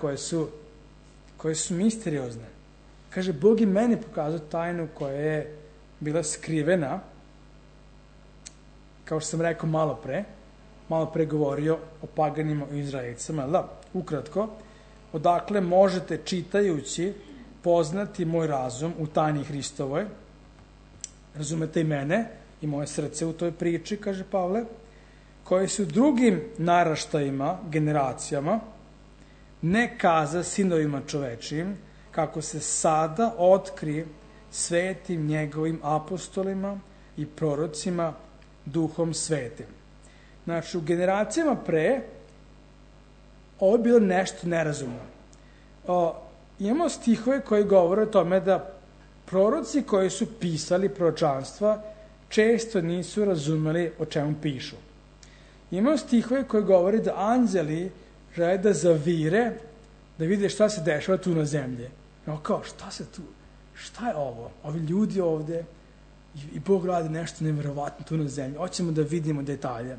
Speaker 1: koje su misteriozne. Kaže, Bog i meni pokazao tajnu koja je bila skrivena, kao što sam rekao malo pre govorio o paganima i Izraelicama, jel da? Ukratko, odakle možete čitajući poznati moj razum u tajni Hristovoj, razumete i mene i moje srce u toj priči, kaže Pavle, koji su drugim naraštajima, generacijama, ne kaza sinovima čovečijim, kako se sada otkri svetim njegovim apostolima i prorocima duhom svetim. Znači, u generacijama pre ovo je bilo nešto nerazumno. Imamo stihove koji govore o tome da proroci koji su pisali proročanstva često nisu razumeli o čemu pišu. Imamo stihove koji govore da anđeli žele da zavire, da vide šta se dešava tu na zemlji. Kao, šta je ovo? Ovi ljudi ovde i Bog radi nešto nevjerovatno tu na zemlji. Hoćemo da vidimo detalje.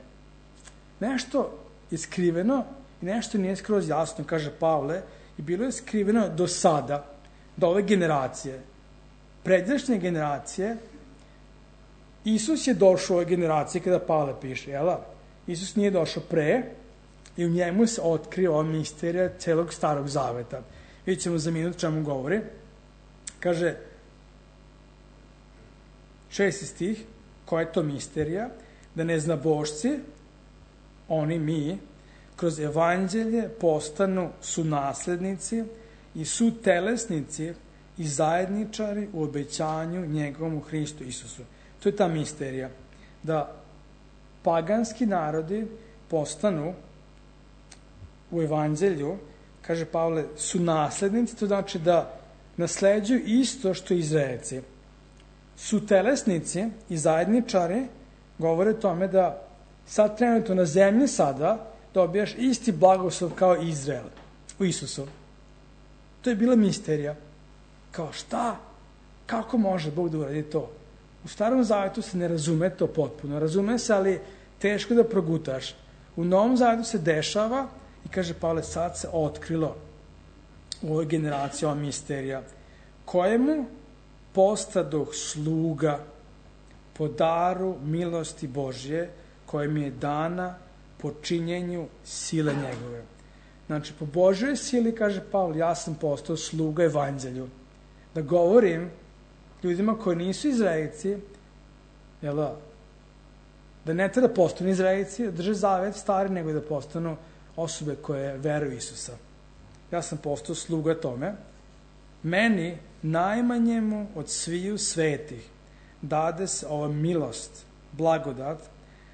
Speaker 1: Nešto je skriveno i nešto nije skroz jasno, kaže Pavle, i bilo je skriveno do sada, do ove generacije. Pređašnje generacije, Isus je došao u ove generacije kada Pavle piše, jel? Isus nije došao pre i u njemu se otkrio ova misterija celog starog zaveta. Vidjet ćemo za minut čemu govori. Kaže, 6. stih, koja je to misterija? Da neznabošci, oni mi, kroz evanđelje postanu sunaslednici i sutelesnici i zajedničari u obećanju njegovom u Hristu Isusu. To je ta misterija. Da paganski narodi postanu u evanđelju, kaže Pavle, sunaslednici, to znači da nasleđuju isto što Izraelci. Sutelesnici i zajedničari govore o tome da sad trenutno na zemlji sada dobijaš isti blagoslov kao Izrael u Isusu. To je bila misterija. Kao šta? Kako može Bog da uradi to? U Starom Zavetu se ne razume to potpuno. Razume se, ali teško da progutaš. U Novom Zavetu se dešava i kaže Pavle, sad se otkrilo u ovoj generaciji ova misterija, kojemu postadoh sluga po daru milosti Božje, koja mi je dana po činjenju sile njegove. Znači, po Božjoj sili, kaže Pavle, ja sam postao sluga evanđelju. Da govorim ljudima koji nisu Izraelci, jel da ne treba da postanu Izraelci, da drže zavet stari, nego da postanu osobe koje veruju Isusa. Ja sam postao sluga tome. Meni, najmanjemu od sviju svetih, dade se ova milost, blagodat,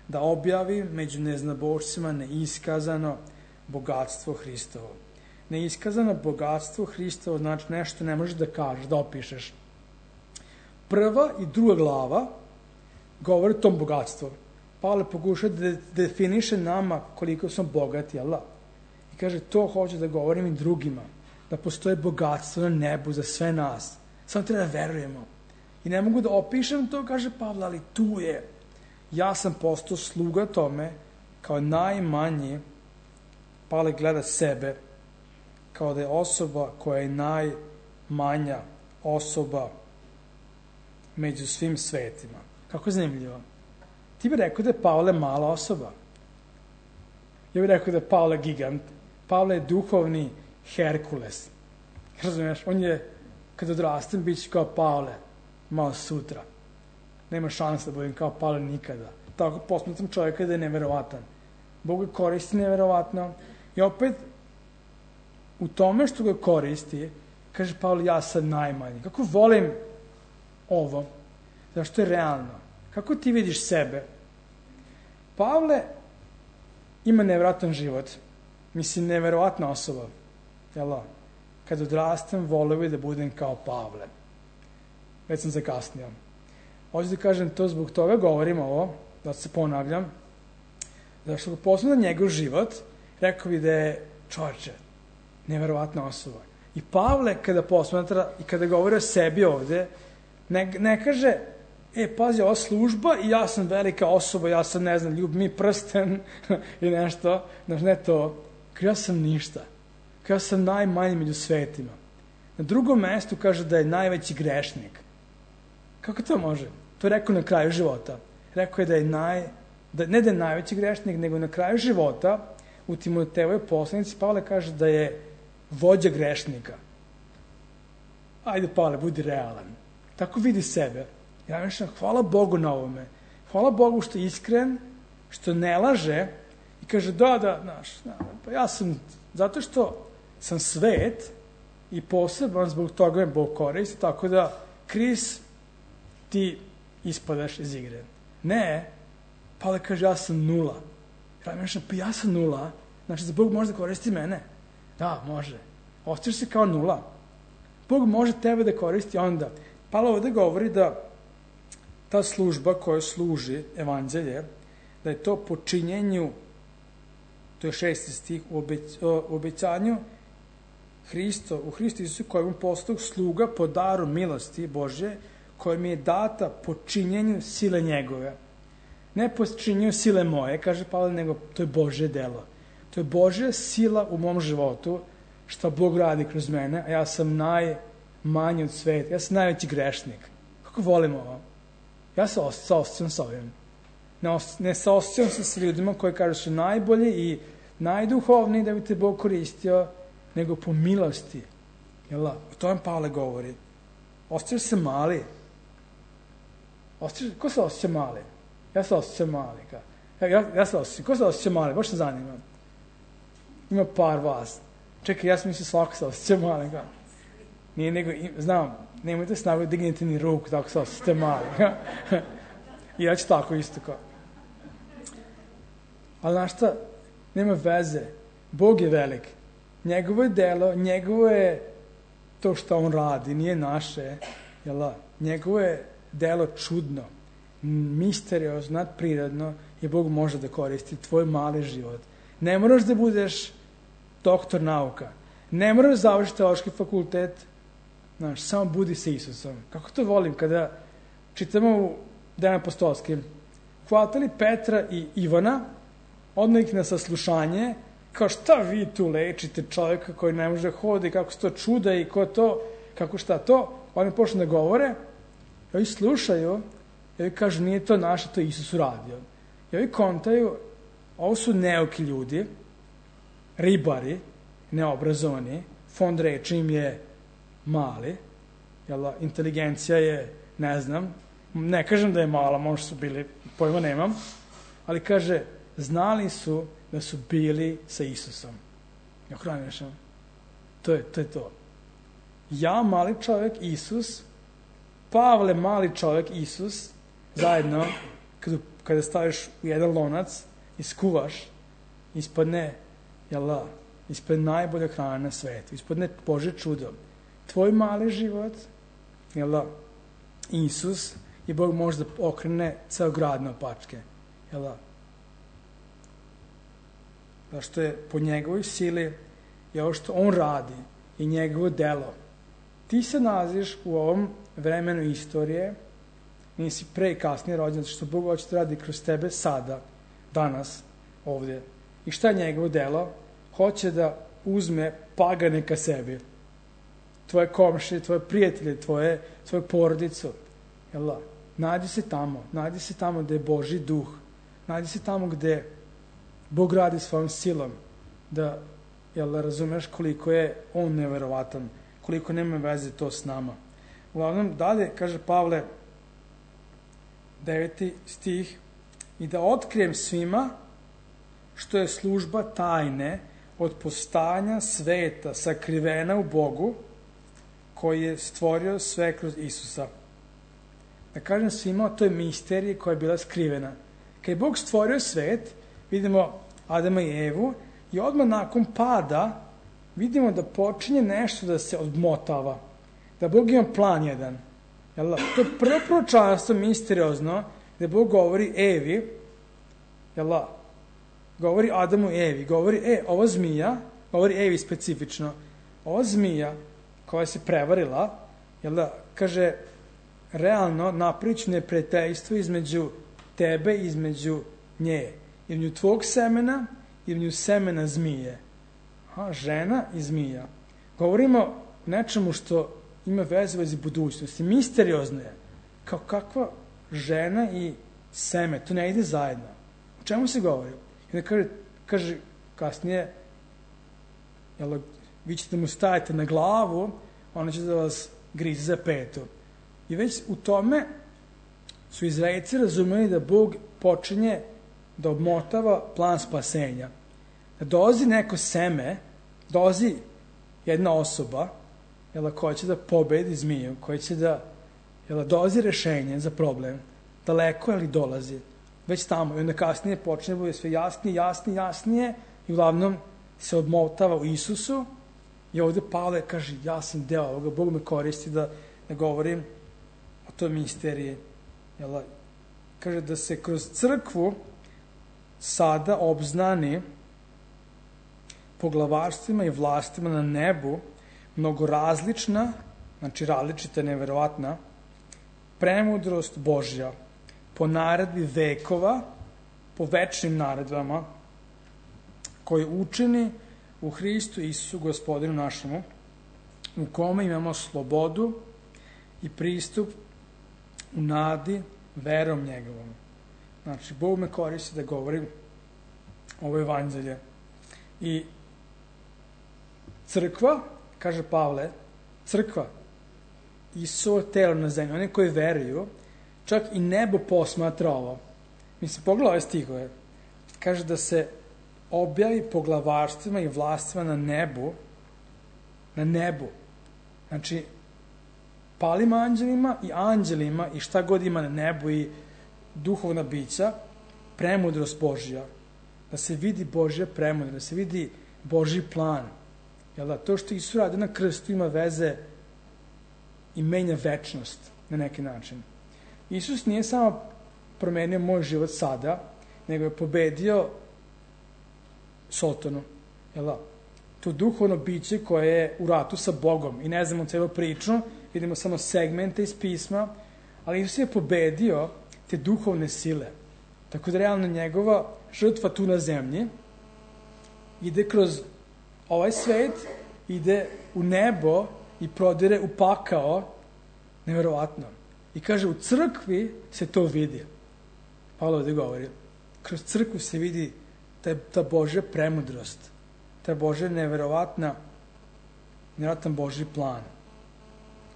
Speaker 1: da objavim među neznabošcima neiskazano bogatstvo Hristovo. Neiskazano bogatstvo Hristovo znači nešto ne možeš da kažeš, da opišeš. Prva i druga glava govori o tom bogatstvu. Pavle pokuša da definiše nama koliko smo bogati, jel da? I kaže, to hoću da govorim i drugima, da postoje bogatstvo na nebu za sve nas. Samo treba da verujemo. I ne mogu da opišem to, kaže Pavle, ali tu je. Ja sam postao sluga tome, kao najmanji. Pavle gleda sebe, kao da je osoba koja je najmanja osoba među svim svetima. Kako zanimljivo. Ti bi rekao da je Pavle mala osoba. Ja bih rekao da je Pavle gigant. Pavle je duhovni Herkules. Razumiješ? On je, kad odrastem, bit će kao Pavle. Malo sutra. Nema šanse da budem kao Pavle nikada. Tako posmatram čovjeka da je neverovatan. Bog ga koristi neverovatno. I opet, u tome što ga koristi, kaže Pavle, ja sam najmanji. Kako volim ovo? Zašto je realno? Kako ti vidiš sebe? Pavle ima neverovatan život. Mislim, neverovatna osoba. Jel' kad odrastem, voleo bi da budem kao Pavle. Već sam zakasnio. Hoću da kažem to zbog toga, govorim ovo, da se ponavljam, zašto ga posebno njegov život, rekao bi da je čovječe, neverovatna osoba. I Pavle, kada posmatra i kada govori o sebi ovde, ne kaže, pazi, ova služba i ja sam velika osoba, ja sam, ne znam, ljubim mi prsten i nešto, znaš, ne to, ja sam ništa. Ja sam najmanji među svetima. Na drugom mestu kaže da je najveći grešnik. Kako to može? To je rekao na kraju života. Rekao je da je ne da je najveći grešnik, nego na kraju života u Timotejevoj poslanici Pavle kaže da je vođa grešnika. Ajde, Pavle, budi realan. Tako vidi sebe. Ja mislim, hvala Bogu na ovome. Hvala Bogu što je iskren, što ne laže i kaže znaš, pa ja sam, zato što sam svet i poseban zbog toga me Bog koristi, tako da Kris ti ispadaš iz igre. Ne, Pavle kaže ja sam nula. Ja mislim, pa ja sam nula, znači da Bog može da koristi mene. Da, može. Ostaš se kao nula. Bog može tebe da koristi onda. Pavle ovde govori da ta služba koja služi evanđelje, da je to po činjenju, to je 6. stih, u obećanju u Hristu Isusu kojem postao sluga po daru milosti Božje, koja mi je data po činjenju sile njegove. Ne po činjenju sile moje, kaže Pavle, nego to je Božje delo. To je Božja sila u mom životu, što Bog radi kroz mene, a ja sam najmanji od sveta. Ja sam najveći grešnik. Kako volim ovo? Ja se osjećam sa ovim. Ne saosjećam se sa ljudima koji kažu su najbolji i najduhovniji da bi te Bog koristio, nego po milosti. Jel' o tome Pavle govori. Osjećaš se mali. Ko se osjeća mali? Ja se osjećam mali. Ja se osjećam. Ko se osjeća mali? Baš se zanimam. Ima par vas. Čekaj, ja sam mislio svako se osjeća mali. Nije nego, znam, nemojte snagu dignete ni ruku, tako se osjećate mali. I ja ću tako isto kao. Ali znaš šta? Nema veze. Bog je velik. Njegovo je delo, njegovo je to što on radi, nije naše. Jel' njegovo je delo čudno, misteriozno, nadprirodno i Bog može da koristi tvoj mali život. Ne moraš da budeš doktor nauka. Ne moraš da završiti teološki fakultet. Znaš, samo budi sa Isusom. Kako to volim kada čitamo u Dejanima apostolskim. Hvatali Petra i Ivana, odmah ih na saslušanje, kao šta vi tu lečite čovjeka koji ne može da hodi, kako se to čuda i ko to, kako šta to. Oni počnu da govore, i ovi slušaju, i ovi kažu nije to naše, to je Isus uradio. I ovi kontaju, ovo su neuki ljudi, ribari, neobrazovani, fond reči im je mali, inteligencija je, ne znam, ne kažem da je mala, možda su bili, pojma nemam, ali kaže, znali su da su bili sa Isusom. Ja hranješam. To je to. Ja, mali čovjek, Isus, Pavle, mali čovjek, Isus, zajedno, kada staviš u jedan lonac i skuvaš, ispadne, ispred najbolja hrana na svetu, ispadne Božje čudo. Tvoj mali život, Isus, i Bog može da okrene ceo grad na opačke. zato što je po njegovoj sili i ovo što on radi i njegovo delo. Ti se nalaziš u ovom vremenu istorije, nisi pre i kasnije rođen, zato što Bog hoće da radi kroz tebe sada, danas, ovdje. I šta je njegovo delo? Hoće da uzme pagane ka sebi. Tvoje komšije, tvoje prijatelje, tvoju porodicu. Jel da? Nađi se tamo gde je Božji duh. Nađi se tamo gde Bog radi svojom silom. Da, razumeš koliko je on neverovatan, koliko nema veze to s nama. Uglavnom, dalje, kaže Pavle, 9. stih, i da otkrijem svima što je služba tajne od postajanja sveta sakrivena u Bogu, koji je stvorio sve kroz Isusa. Da kažem svima, to je misterija koja je bila skrivena. Kad je Bog stvorio svet, vidimo Adama i Evu, i odmah nakon pada vidimo da počinje nešto da se odmotava. Da Bog ima plan jedan. To je prvo proročanstvo misteriozno, gde Bog govori Evi, govori Adamu i Evi, govori, ova zmija, govori Evi specifično, ova zmija koja se prevarila, kaže, realno napriču neprijateljstvo između tebe i između nje. Između tvog semena i između semena zmije. Žena i zmija. Govorimo nečemu što ima vezi budućnosti. Misteriozno je. Kao kakva žena i seme. To ne ide zajedno. O čemu se govori? I onda kaže kasnije, vi ćete mu staviti na glavu, ona će da vas grize za petu. I već u tome su Izraelci razumeli da Bog počinje da obmotava plan spasenja. Da dolazi neko seme, dolazi jedna osoba, koja će da pobedi zmiju, koja će da dolazi rešenje za problem, daleko ali dolazi, već tamo. I onda kasnije počne da bude sve jasnije i uglavnom se obmotava u Isusu. I ovde Pavle kaže, ja sam deo ovoga, Bog me koristi da govorim o toj misteriji. Kaže da se kroz crkvu sada obznani poglavarstvima i vlastima na nebu mnogo različna, znači različita, neverovatna, premudrost Božja po naredbi vekova, po večnim naredbama, koji učeni u Hristu Isusu, Gospodinu našemu, u kome imamo slobodu i pristup u nadi verom njegovom. Znači, Bog me koristi da govorim ovo evanđelje. I crkva, kaže Pavle, crkva, Isusovo telo na zemlji, oni koji veruju, čak i nebo posmatra ovo. Mislim, pogledaj ove stihove. Kaže da se objavi poglavarstvima i vlastima na nebu. Znači, palim anđelima i anđelima i šta god ima na nebu i duhovna bića, premudrost Božja. Da se vidi Božja premudrost, da se vidi Božji plan. To što Isus radi na krstu ima veze i menja večnost na neki način. Isus nije samo promenio moj život sada, nego je pobedio Sotonu. To duhovno biće koje je u ratu sa Bogom. I ne znamo celu priču, vidimo samo segmente iz pisma, ali Isus je pobedio te duhovne sile. Tako da realno njegova žrtva tu na zemlji ide kroz ovaj svet, ide u nebo i prodire u pakao, neverovatno. I kaže, u crkvi se to vidi. Pavle ovdje govori. Kroz crkvu se vidi ta Božja premudrost, ta Božja neverovatan Božji plan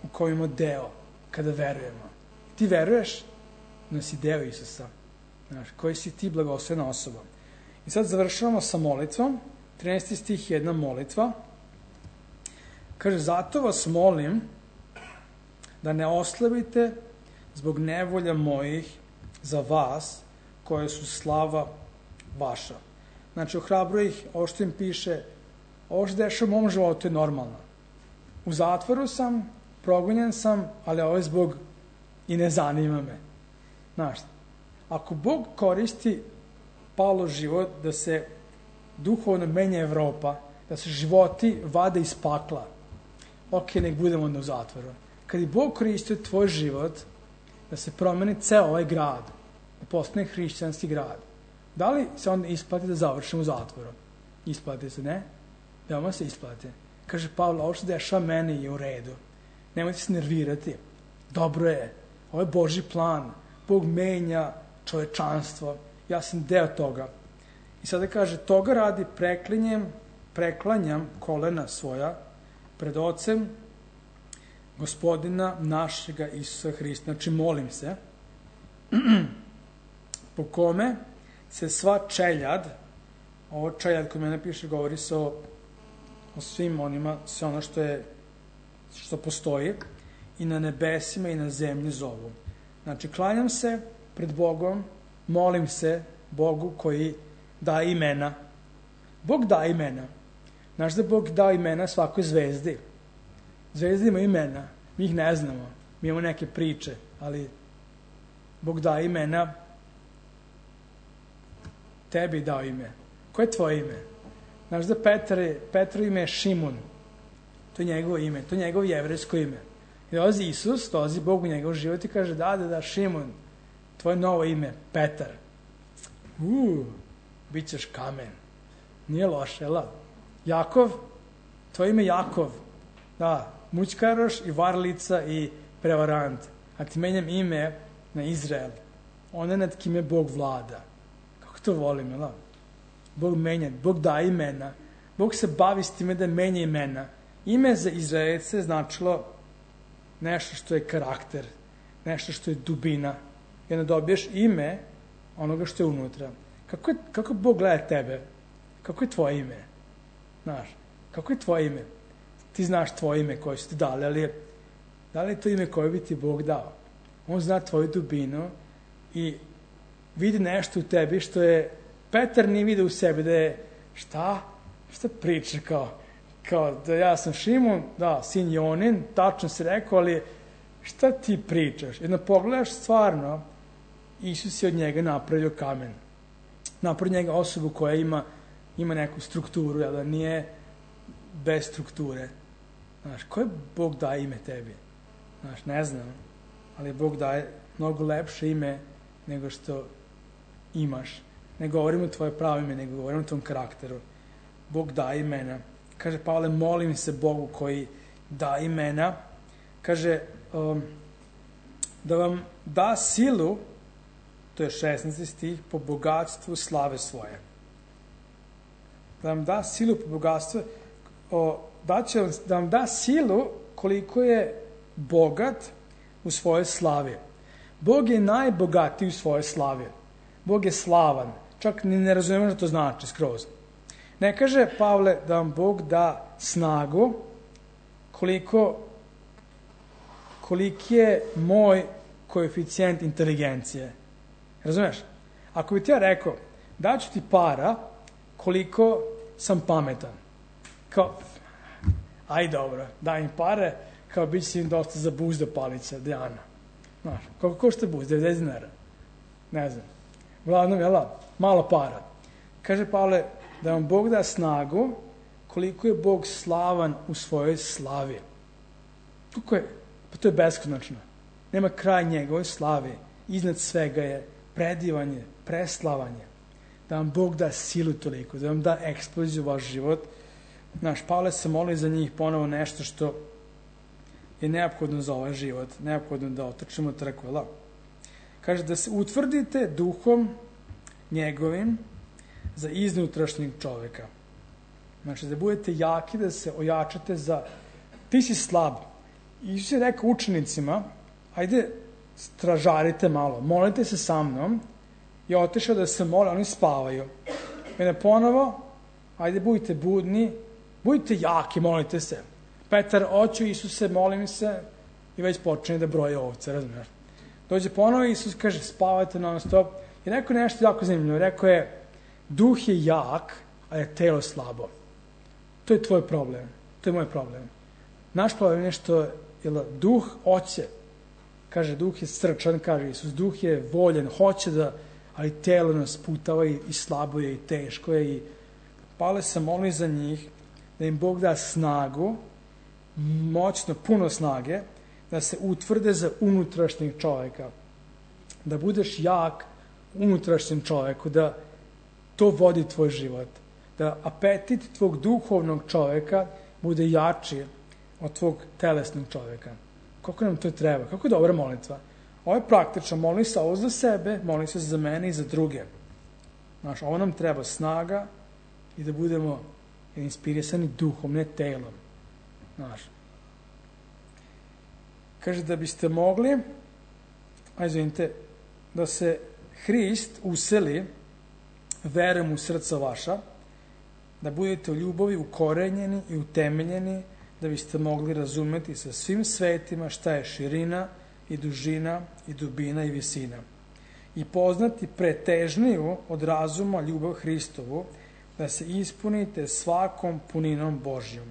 Speaker 1: u kojem imamo deo kada verujemo. Ti veruješ da si deo Isusa, koji si ti blagoslovena osoba. I sad završavamo sa molitvom. 13. stih je jedna molitva. Kaže, zato vas molim da ne oslabite zbog nevolja mojih za vas, koje su slava vaša. Znači, ohrabruje ih, ovo što im piše, ovo što dešava u mom životu je normalno. U zatvoru sam, progonjen sam, ali ovo je zbog i ne zanima me. Znaš, ako Bog koristi Pavlov život da se duhovno menja Evropa, da se životi vade iz pakla, ok, nek budemo onda u zatvoru. Kad je Bog koristio tvoj život da se promeni ceo ovaj grad, da postane hrišćanski grad, da li se onda isplati da završimo u zatvoru? Isplati se, ne? Veoma se isplati. Kaže Pavle, ovo što dešava meni je u redu. Nemojte se nervirati. Dobro je. Ovo je Božji plan. Bog menja čovečanstvo. Ja sam deo toga. I sada kaže, toga radi preklanjam kolena svoja pred Ocem Gospodina našega Isusa Hrista. Znači, molim se, po kome se sva čeljad, ovo čeljad koji mene piše, govori se o svim onima, sve ono što postoji, i na nebesima i na zemlji zovu. Znači, klanjam se pred Bogom, molim se Bogu koji da imena. Bog da imena. Znaš da Bog da imena svakoj zvezdi. Zvezde imaju imena, mi ih ne znamo. Mi imamo neke priče, ali Bog da imena. Tebi dao ime. Koje je tvoje ime? Znaš da Petro ime je Šimun. To je njegovo ime, to je njegovo jevrejsko ime. I dolazi Isus, dolazi Bog u njegov život i kaže, da, Šimun, tvoje novo ime, Petar. Bit ćeš kamen. Nije loše, jel? Jakov, tvoje ime Jakov. Da, mućkaroš i varlica i prevarant. A ti menjam ime na Izrael. Ona nad kime Bog vlada. Kako to volim, jel? Bog menja, Bog da imena. Bog se bavi s time da menja imena. Ime za Izraelce značilo nešto što je karakter, nešto što je dubina. I onda dobiješ ime onoga što je unutra. Kako Bog gleda tebe? Kako je tvoje ime? Znaš, kako je tvoje ime? Ti znaš tvoje ime koje su ti dali, ali da li je to ime koje bi ti Bog dao? On zna tvoju dubinu i vidi nešto u tebi što je Petar nije vidio u sebi, da je šta priča kao da ja sam Šimun, da, sin Jonin, tačno si rekao, ali šta ti pričaš? Jedno pogledaš stvarno, Isus je od njega napravio kamen. Napravio njega osobu koja ima neku strukturu, da nije bez strukture. Znaš, koje Bog daje ime tebi? Znaš, ne znam, ali Bog daje mnogo lepše ime nego što imaš. Ne govorimo o tvoje pravo ime, nego govorimo o tvom karakteru. Bog daje imena. Kaže Pavle, molim se Bogu koji da imena. Kaže, da vam da silu, to je 16. stih, po bogatstvu slave svoje. Da vam da silu po bogatstvu, da vam da silu koliko je bogat u svojoj slavi. Bog je najbogatiji u svojoj slavi. Bog je slavan. Čak ni ne razumemo što to znači skroz. Ne kaže Pavle da vam Bog da snagu koliki je moj koeficijent inteligencije. Razumeš? Ako bi ti ja rekao, daću ti para koliko sam pametan. Kao, aj dobro, daj im pare, kao bit će im dosta za buzda palica, Dejana. Znaš, koliko košta buz? 90 dinara. Ne znam. Uglavnom, jela, malo para. Kaže Pavle, da vam Bog da snagu koliko je Bog slavan u svojoj slavi. Kako je? Pa to je beskonačno. Nema kraj njegove slavi. Iznad svega je predivanje, preslavanje. Da vam Bog da silu toliko, da vam da eksploziju u vaš život. Naš Pavle se moli za njih ponovo nešto što je neophodno za ovaj život. Neophodno da otrčimo trku. Kaže da se utvrdite duhom njegovim za iznutrašnjeg čoveka. Znači, da budete jaki, da se ojačate za... Ti si slab. Isus je rekao učenicima, ajde, stražarite malo, molite se sa mnom, i otišao da se mole, oni spavaju. I ponovo, ajde, budite budni, budite jaki, molite se. Petar, oću Isuse, molim se, i već počne da broje ovce, razumiješ? Dođe ponovo, Isus kaže, spavajte non stop. I rekao nešto jako zanimljivo, rekao je, duh je jak, a je telo slabo. To je tvoj problem. To je moj problem. Naš problem je što duh hoće. Kaže, duh je srčan, kaže Isus. Duh je voljen, hoće da, ali telo nas putava i slabo je i teško je i Pavle se moli za njih da im Bog da snagu, moćno, puno snage, da se utvrde za unutrašnjeg čovjeka. Da budeš jak unutrašnjem čovjeku, da to vodi tvoj život. Da apetit tvog duhovnog čovjeka bude jači od tvog telesnog čovjeka. Koliko nam to treba? Kako je dobra molitva? Ovo je praktično. Moli se ovo za sebe, moli se za mene i za druge. Znaš, ovo nam treba snaga i da budemo inspirisani duhom, ne telom. Znaš. Kaže da biste mogli, da se Hrist useli verom u srca vaša, da budete u ljubavi ukorenjeni i utemeljeni, da biste mogli razumeti sa svim svetima šta je širina i dužina i dubina i visina. I poznati pretežniju od razuma ljubav Hristovu, da se ispunite svakom puninom Božjom.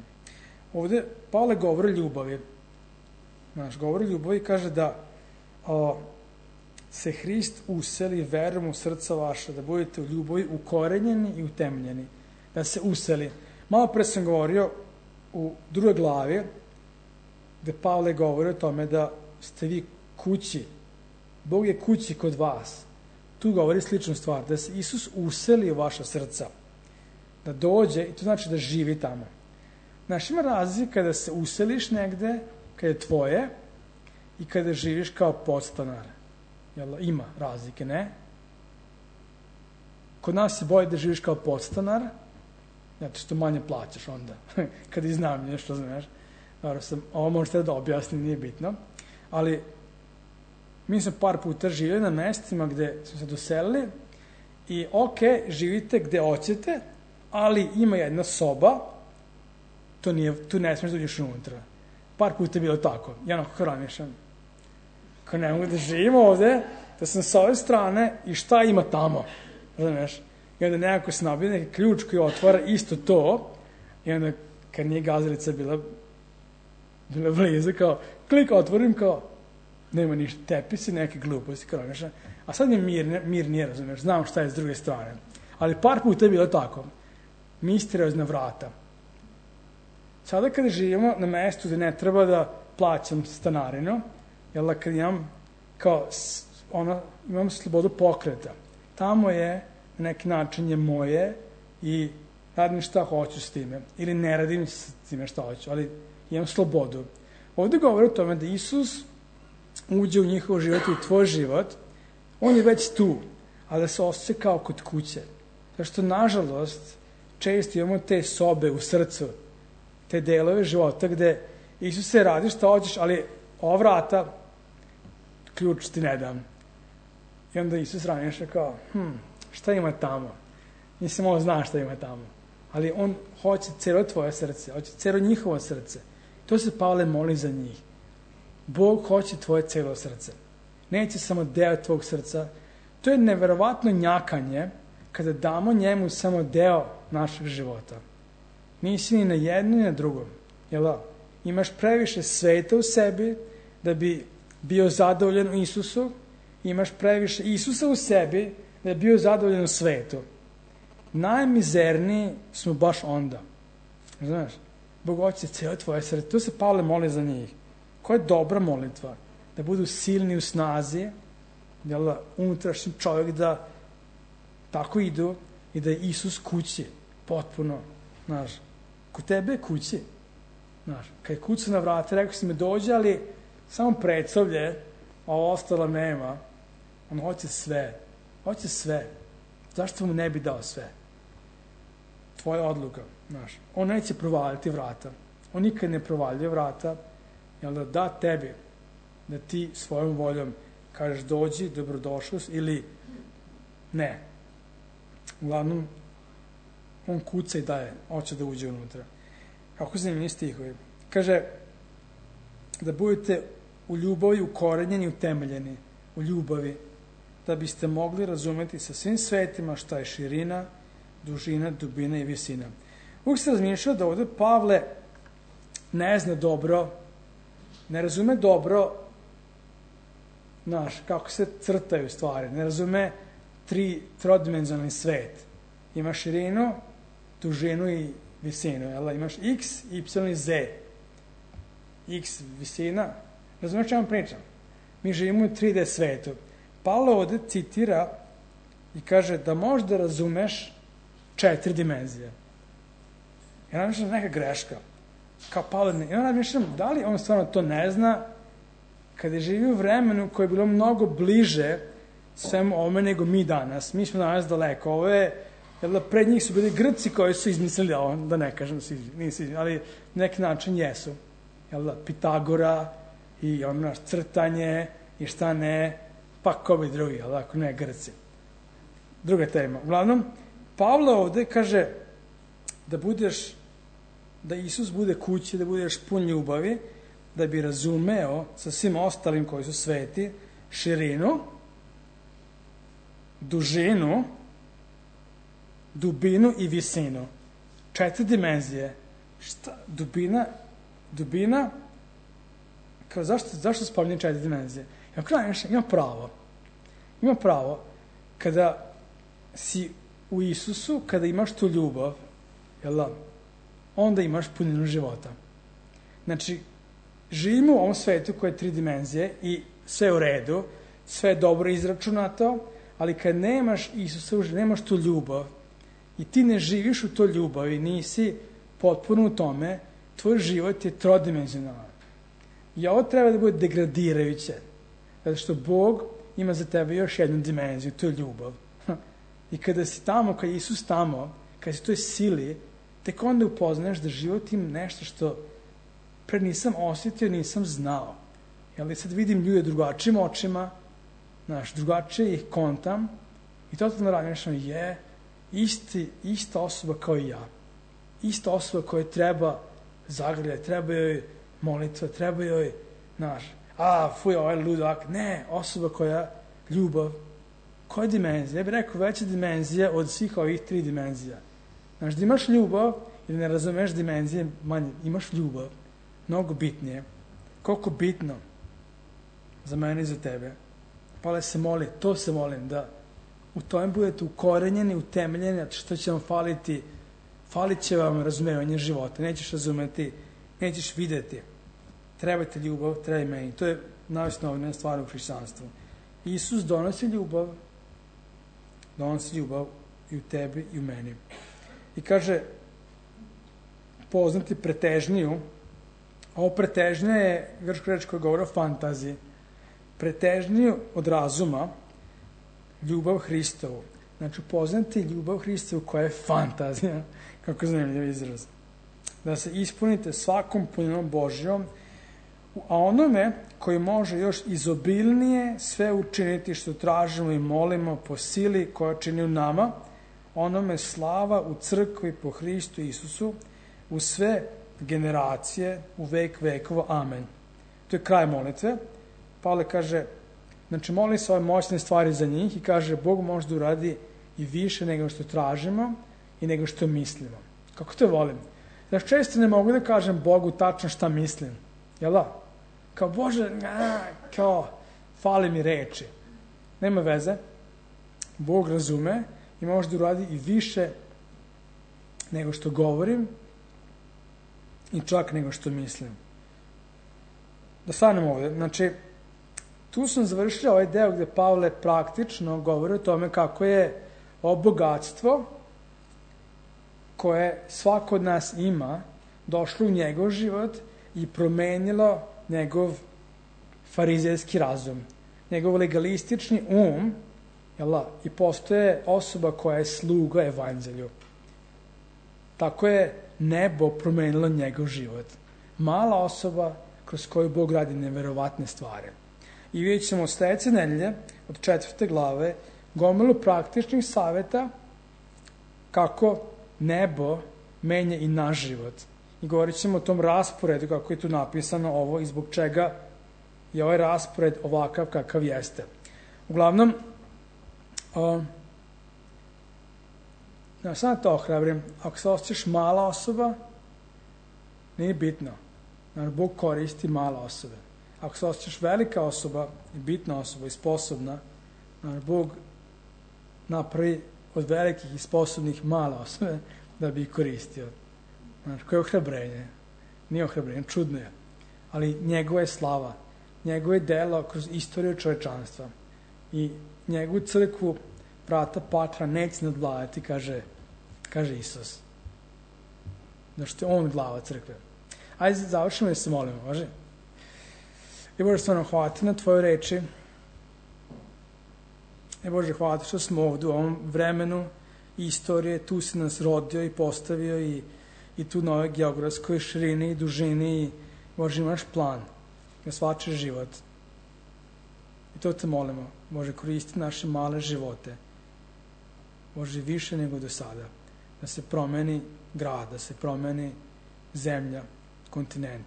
Speaker 1: Ovdje Pavle govori o ljubavi. Govori o ljubavi i kaže da se Hrist useli verom u srca vaša, da budete u ljubavi ukorenjeni i utemeljeni. Da se useli. Malo pre sam govorio u drugoj glavi, gde Pavle govori o tome da ste vi kući. Bog je kući kod vas. Tu govori sličnu stvar, da se Isus useli u vaša srca. Da dođe, i to znači da živi tamo. Znaš, ima razlika kada se useliš negde, kada je tvoje, i kada živiš kao podstanar. Jel, ima razlike, ne? Kod nas se boji da živiš kao podstanar, zato što manje plaćaš onda. Kada iznajmljuješ, što znaš. Ovo možete da objasnim, nije bitno. Ali mi smo par puta živjeli na mestima gde smo se doselili i živite gde hoćete, ali ima jedna soba, tu ne smiješ da uđeš unutra. Par puta je bilo tako. Ja onako hranišam. Kao ne mogu da živim ovde, da sam sa ove strane i šta ima tamo. Znaš? I onda nekako se nabije neki ključ koji otvara isto to i onda kad nije gazalica bila blizu, kao klik, otvorim, kao nema ništa, tepisi, neke gluposti, kao nešto. A sad mi mir nije, razumiješ, znam šta je s druge strane. Ali par puta je bilo tako. Misteriozna vrata. Sada kada živimo na mestu gde ne treba da plaćam stanarinu, jer kad imam imam slobodu pokreta. Tamo je, na neki način je moje i radim šta hoću s time. Ili ne radim s time šta hoću, ali imam slobodu. Ovdje govori o tome da Isus uđe u njihov život i u tvoj život, on je već tu, a da se osjeća kao kod kuće. Zato što, nažalost, često imamo te sobe u srcu, te delove života gde Isus se radi šta hoćeš, ali ova vrata, ključ ti ne dam. I onda Isus raniša kao, šta ima tamo? Nisam ovo zna šta ima tamo. Ali on hoće celo tvoje srce, hoće celo njihovo srce. To se Pavle moli za njih. Bog hoće tvoje celo srce. Neće samo deo tvog srca. To je neverovatno njakanje kada damo njemu samo deo našeg života. Nisi ni na jedno ni na drugom. Jel da? Imaš previše sveta u sebi da bi bio zadovoljan u Isusu. Imaš previše Isusa u sebi da bi bio zadovoljan u svetu. Najmizerniji smo baš onda. Znaš? Bog hoće celo tvoje srce. To se Pavle moli za njih. Koja je dobra molitva? Da budu silni u snazi, jel da, unutrašnji čovjek da tako idu i da je Isus kući. Potpuno. Znaš, kod tebe je kući. Znaš, kad je kuca na vrata, rekao si me dođe, ali samo predsavlje, a ovo ostalo nema. On hoće sve. Hoće sve. Zašto mu ne bi dao sve? Tvoja odluka. Znaš, on neće provaliti vrata. On nikad ne provaljuje vrata, jel da tebi, da ti svojom voljom kažeš dođi, dobrodošao ili ne. Uglavnom, on kuca i daje, hoće da uđe unutra. Kako zanimljivi stihovi. Kaže, da budete u ljubavi ukorenjeni i utemeljeni, u ljubavi, da biste mogli razumeti sa svim svetima šta je širina, dužina, dubina i visina. Uvijek se razmišljao da ovdje Pavle ne zna dobro, ne razume dobro, znaš, kako se crtaju stvari, ne razume trodimenzionalni svet. Ima širinu, dužinu i visinu. Jel? Imaš x, y i z. X visina. Razumiješ čemu pričam? Mi živimo u 3D svetu. Pavle ovde citira i kaže da možda razumeš 4 dimenzije. Ja razmišljam neka greška. Kao Pavle, ja razmišljam da li on stvarno to ne zna kada je živio u vremenu koje je bilo mnogo bliže svemu ovome nego mi danas. Mi smo danas daleko. Ovo je, pred njih su bili Grci koji su izmislili ovo, da ne kažem da su izmislili, ali na neki način jesu. Pitagora i crtanje i šta ne, pa ko bi drugi, ako ne Grci. Druga tema. Uglavnom, Pavle ovde kaže da Isus bude kući, da budeš pun ljubavi, da bi razumeo sa svim ostalim koji su sveti širinu, dužinu, dubinu i visinu. 4 dimenzije. Šta? Dubina, kao zašto spominjem 4 dimenzije? Ima pravo kada si u Isusu, kada imaš tu ljubav, onda imaš puninu života. Znači, živimo u ovom svetu koje je 3 dimenzije i sve u redu, sve je dobro izračunato, ali kad nemaš Isusa, nemaš tu ljubav i ti ne živiš u toj ljubavi, nisi potpuno u tome, tvoj život je trodimenzionalan. I ovo treba da bude degradirajuće, zato što Bog ima za tebe još jednu dimenziju, to je ljubav. I kada si tamo, kada je Isus tamo, kada si u toj sili, tek onda upoznaš da život ima nešto što pre nisam osjetio, nisam znao. Sad vidim ljude drugačijim očima, drugačije ih kontam i totalno razmišljam ista osoba kao i ja. Ista osoba koja treba zagrljati, treba joj molitva, treba joj, ovaj ludak. Ne, osoba koja ljubav. Koja dimenzija? Ja bih rekao veća dimenzija od svih ovih 3 dimenzija. Da imaš ljubav ili ne razumeš dimenzije, manje, imaš ljubav. Mnogo bitnije. Koliko bitno za mene i za tebe. Pavle se moli, to se molim, da u tome budete ukorenjeni, utemeljeni, što će vam faliti. Falit će vam razumevanje života. Nećeš razumeti, nećeš videti. Treba ti ljubav, treba i meni. To je najosnovnija stvar u hrišćanstvu. Isus donosi ljubav i u tebi i u meni. I kaže, poznati pretežniju, ovo pretežnja je grčka reč koja govori o fantaziji. Pretežniju od razuma, ljubav Hristovu. Znači, upoznati ljubav Hristovu koja je fantazija, kako zanimljiv izraz. Da se ispunite svakom puninom Božjom, a onome koji može još izobilnije sve učiniti što tražimo i molimo po sili koja čini u nama, onome slava u crkvi po Hristu Isusu, u sve generacije, u vek vekova. Amen. To je kraj molitve. Pavle kaže, znači moli se ove moćne stvari za njih i kaže, Bog može da uradi i više nego što tražimo i nego što mislimo. Kako to volim? Znači, često ne mogu da kažem Bogu tačno šta mislim. Jel da? Kao, Bože, fali mi reči. Nema veze. Bog razume i može da uradi i više nego što govorim i čak nego što mislim. Da stanemo ovde. Znači, tu sam završio ovaj deo gde Pavle praktično govori o tome kako je ovo bogatstvo koje svako od nas ima došlo u njegov život i promenilo njegov farizejski razum, njegov legalistični i postoje osoba koja je sluga evanđelju. Tako je nebo promenilo njegov život. Mala osoba kroz koju Bog radi neverovatne stvari. I vidjet ćemo od sledeće nedelje, od 4. glave, gomilu praktičnih saveta kako nebo menja i naš život. I govorit ćemo o tom rasporedu, kako je tu napisano ovo i zbog čega je ovaj raspored ovakav kakav jeste. Uglavnom, sam to ohrabrim, ako se osjećaš mala osoba, nije bitno. Bog koristi mala osobe. Ako se osjećaš velika osoba, i bitna osoba i sposobna, Bog napravi od velikih i sposobnih mala osobe da bi ih koristio. Znaš, koje je ohrabrenje? Nije ohrabrenje, čudno je. Ali njegova je slava, njegove delo kroz istoriju čovečanstva i njegovu crkvu vrata pakla neće nadvladati, kaže Isus. Znači, on glava crkve. Ajde, završimo da se molimo, može? I Bože, stvarno, hvala ti na tvoje reči. I Bože, hvala ti što smo ovdje u ovom vremenu istorije, tu si nas rodio i postavio i tu na ovoj geografskoj širini i dužini i Bože, imaš plan za svačiji život. I to te molimo. Bože, koristi naše male živote. Bože, više nego do sada. Da se promeni grad, da se promeni zemlja, kontinent.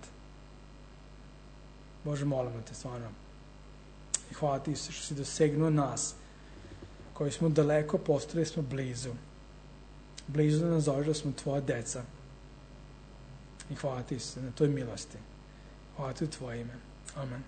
Speaker 1: Bože, molimo te stvarno. I hvala ti što si dosegnuo nas, koji smo daleko, postali smo blizu. Blizu da nas zoveš da smo tvoja deca. I hvala ti se na toj milosti. Hvala ti u tvoje ime. Amen.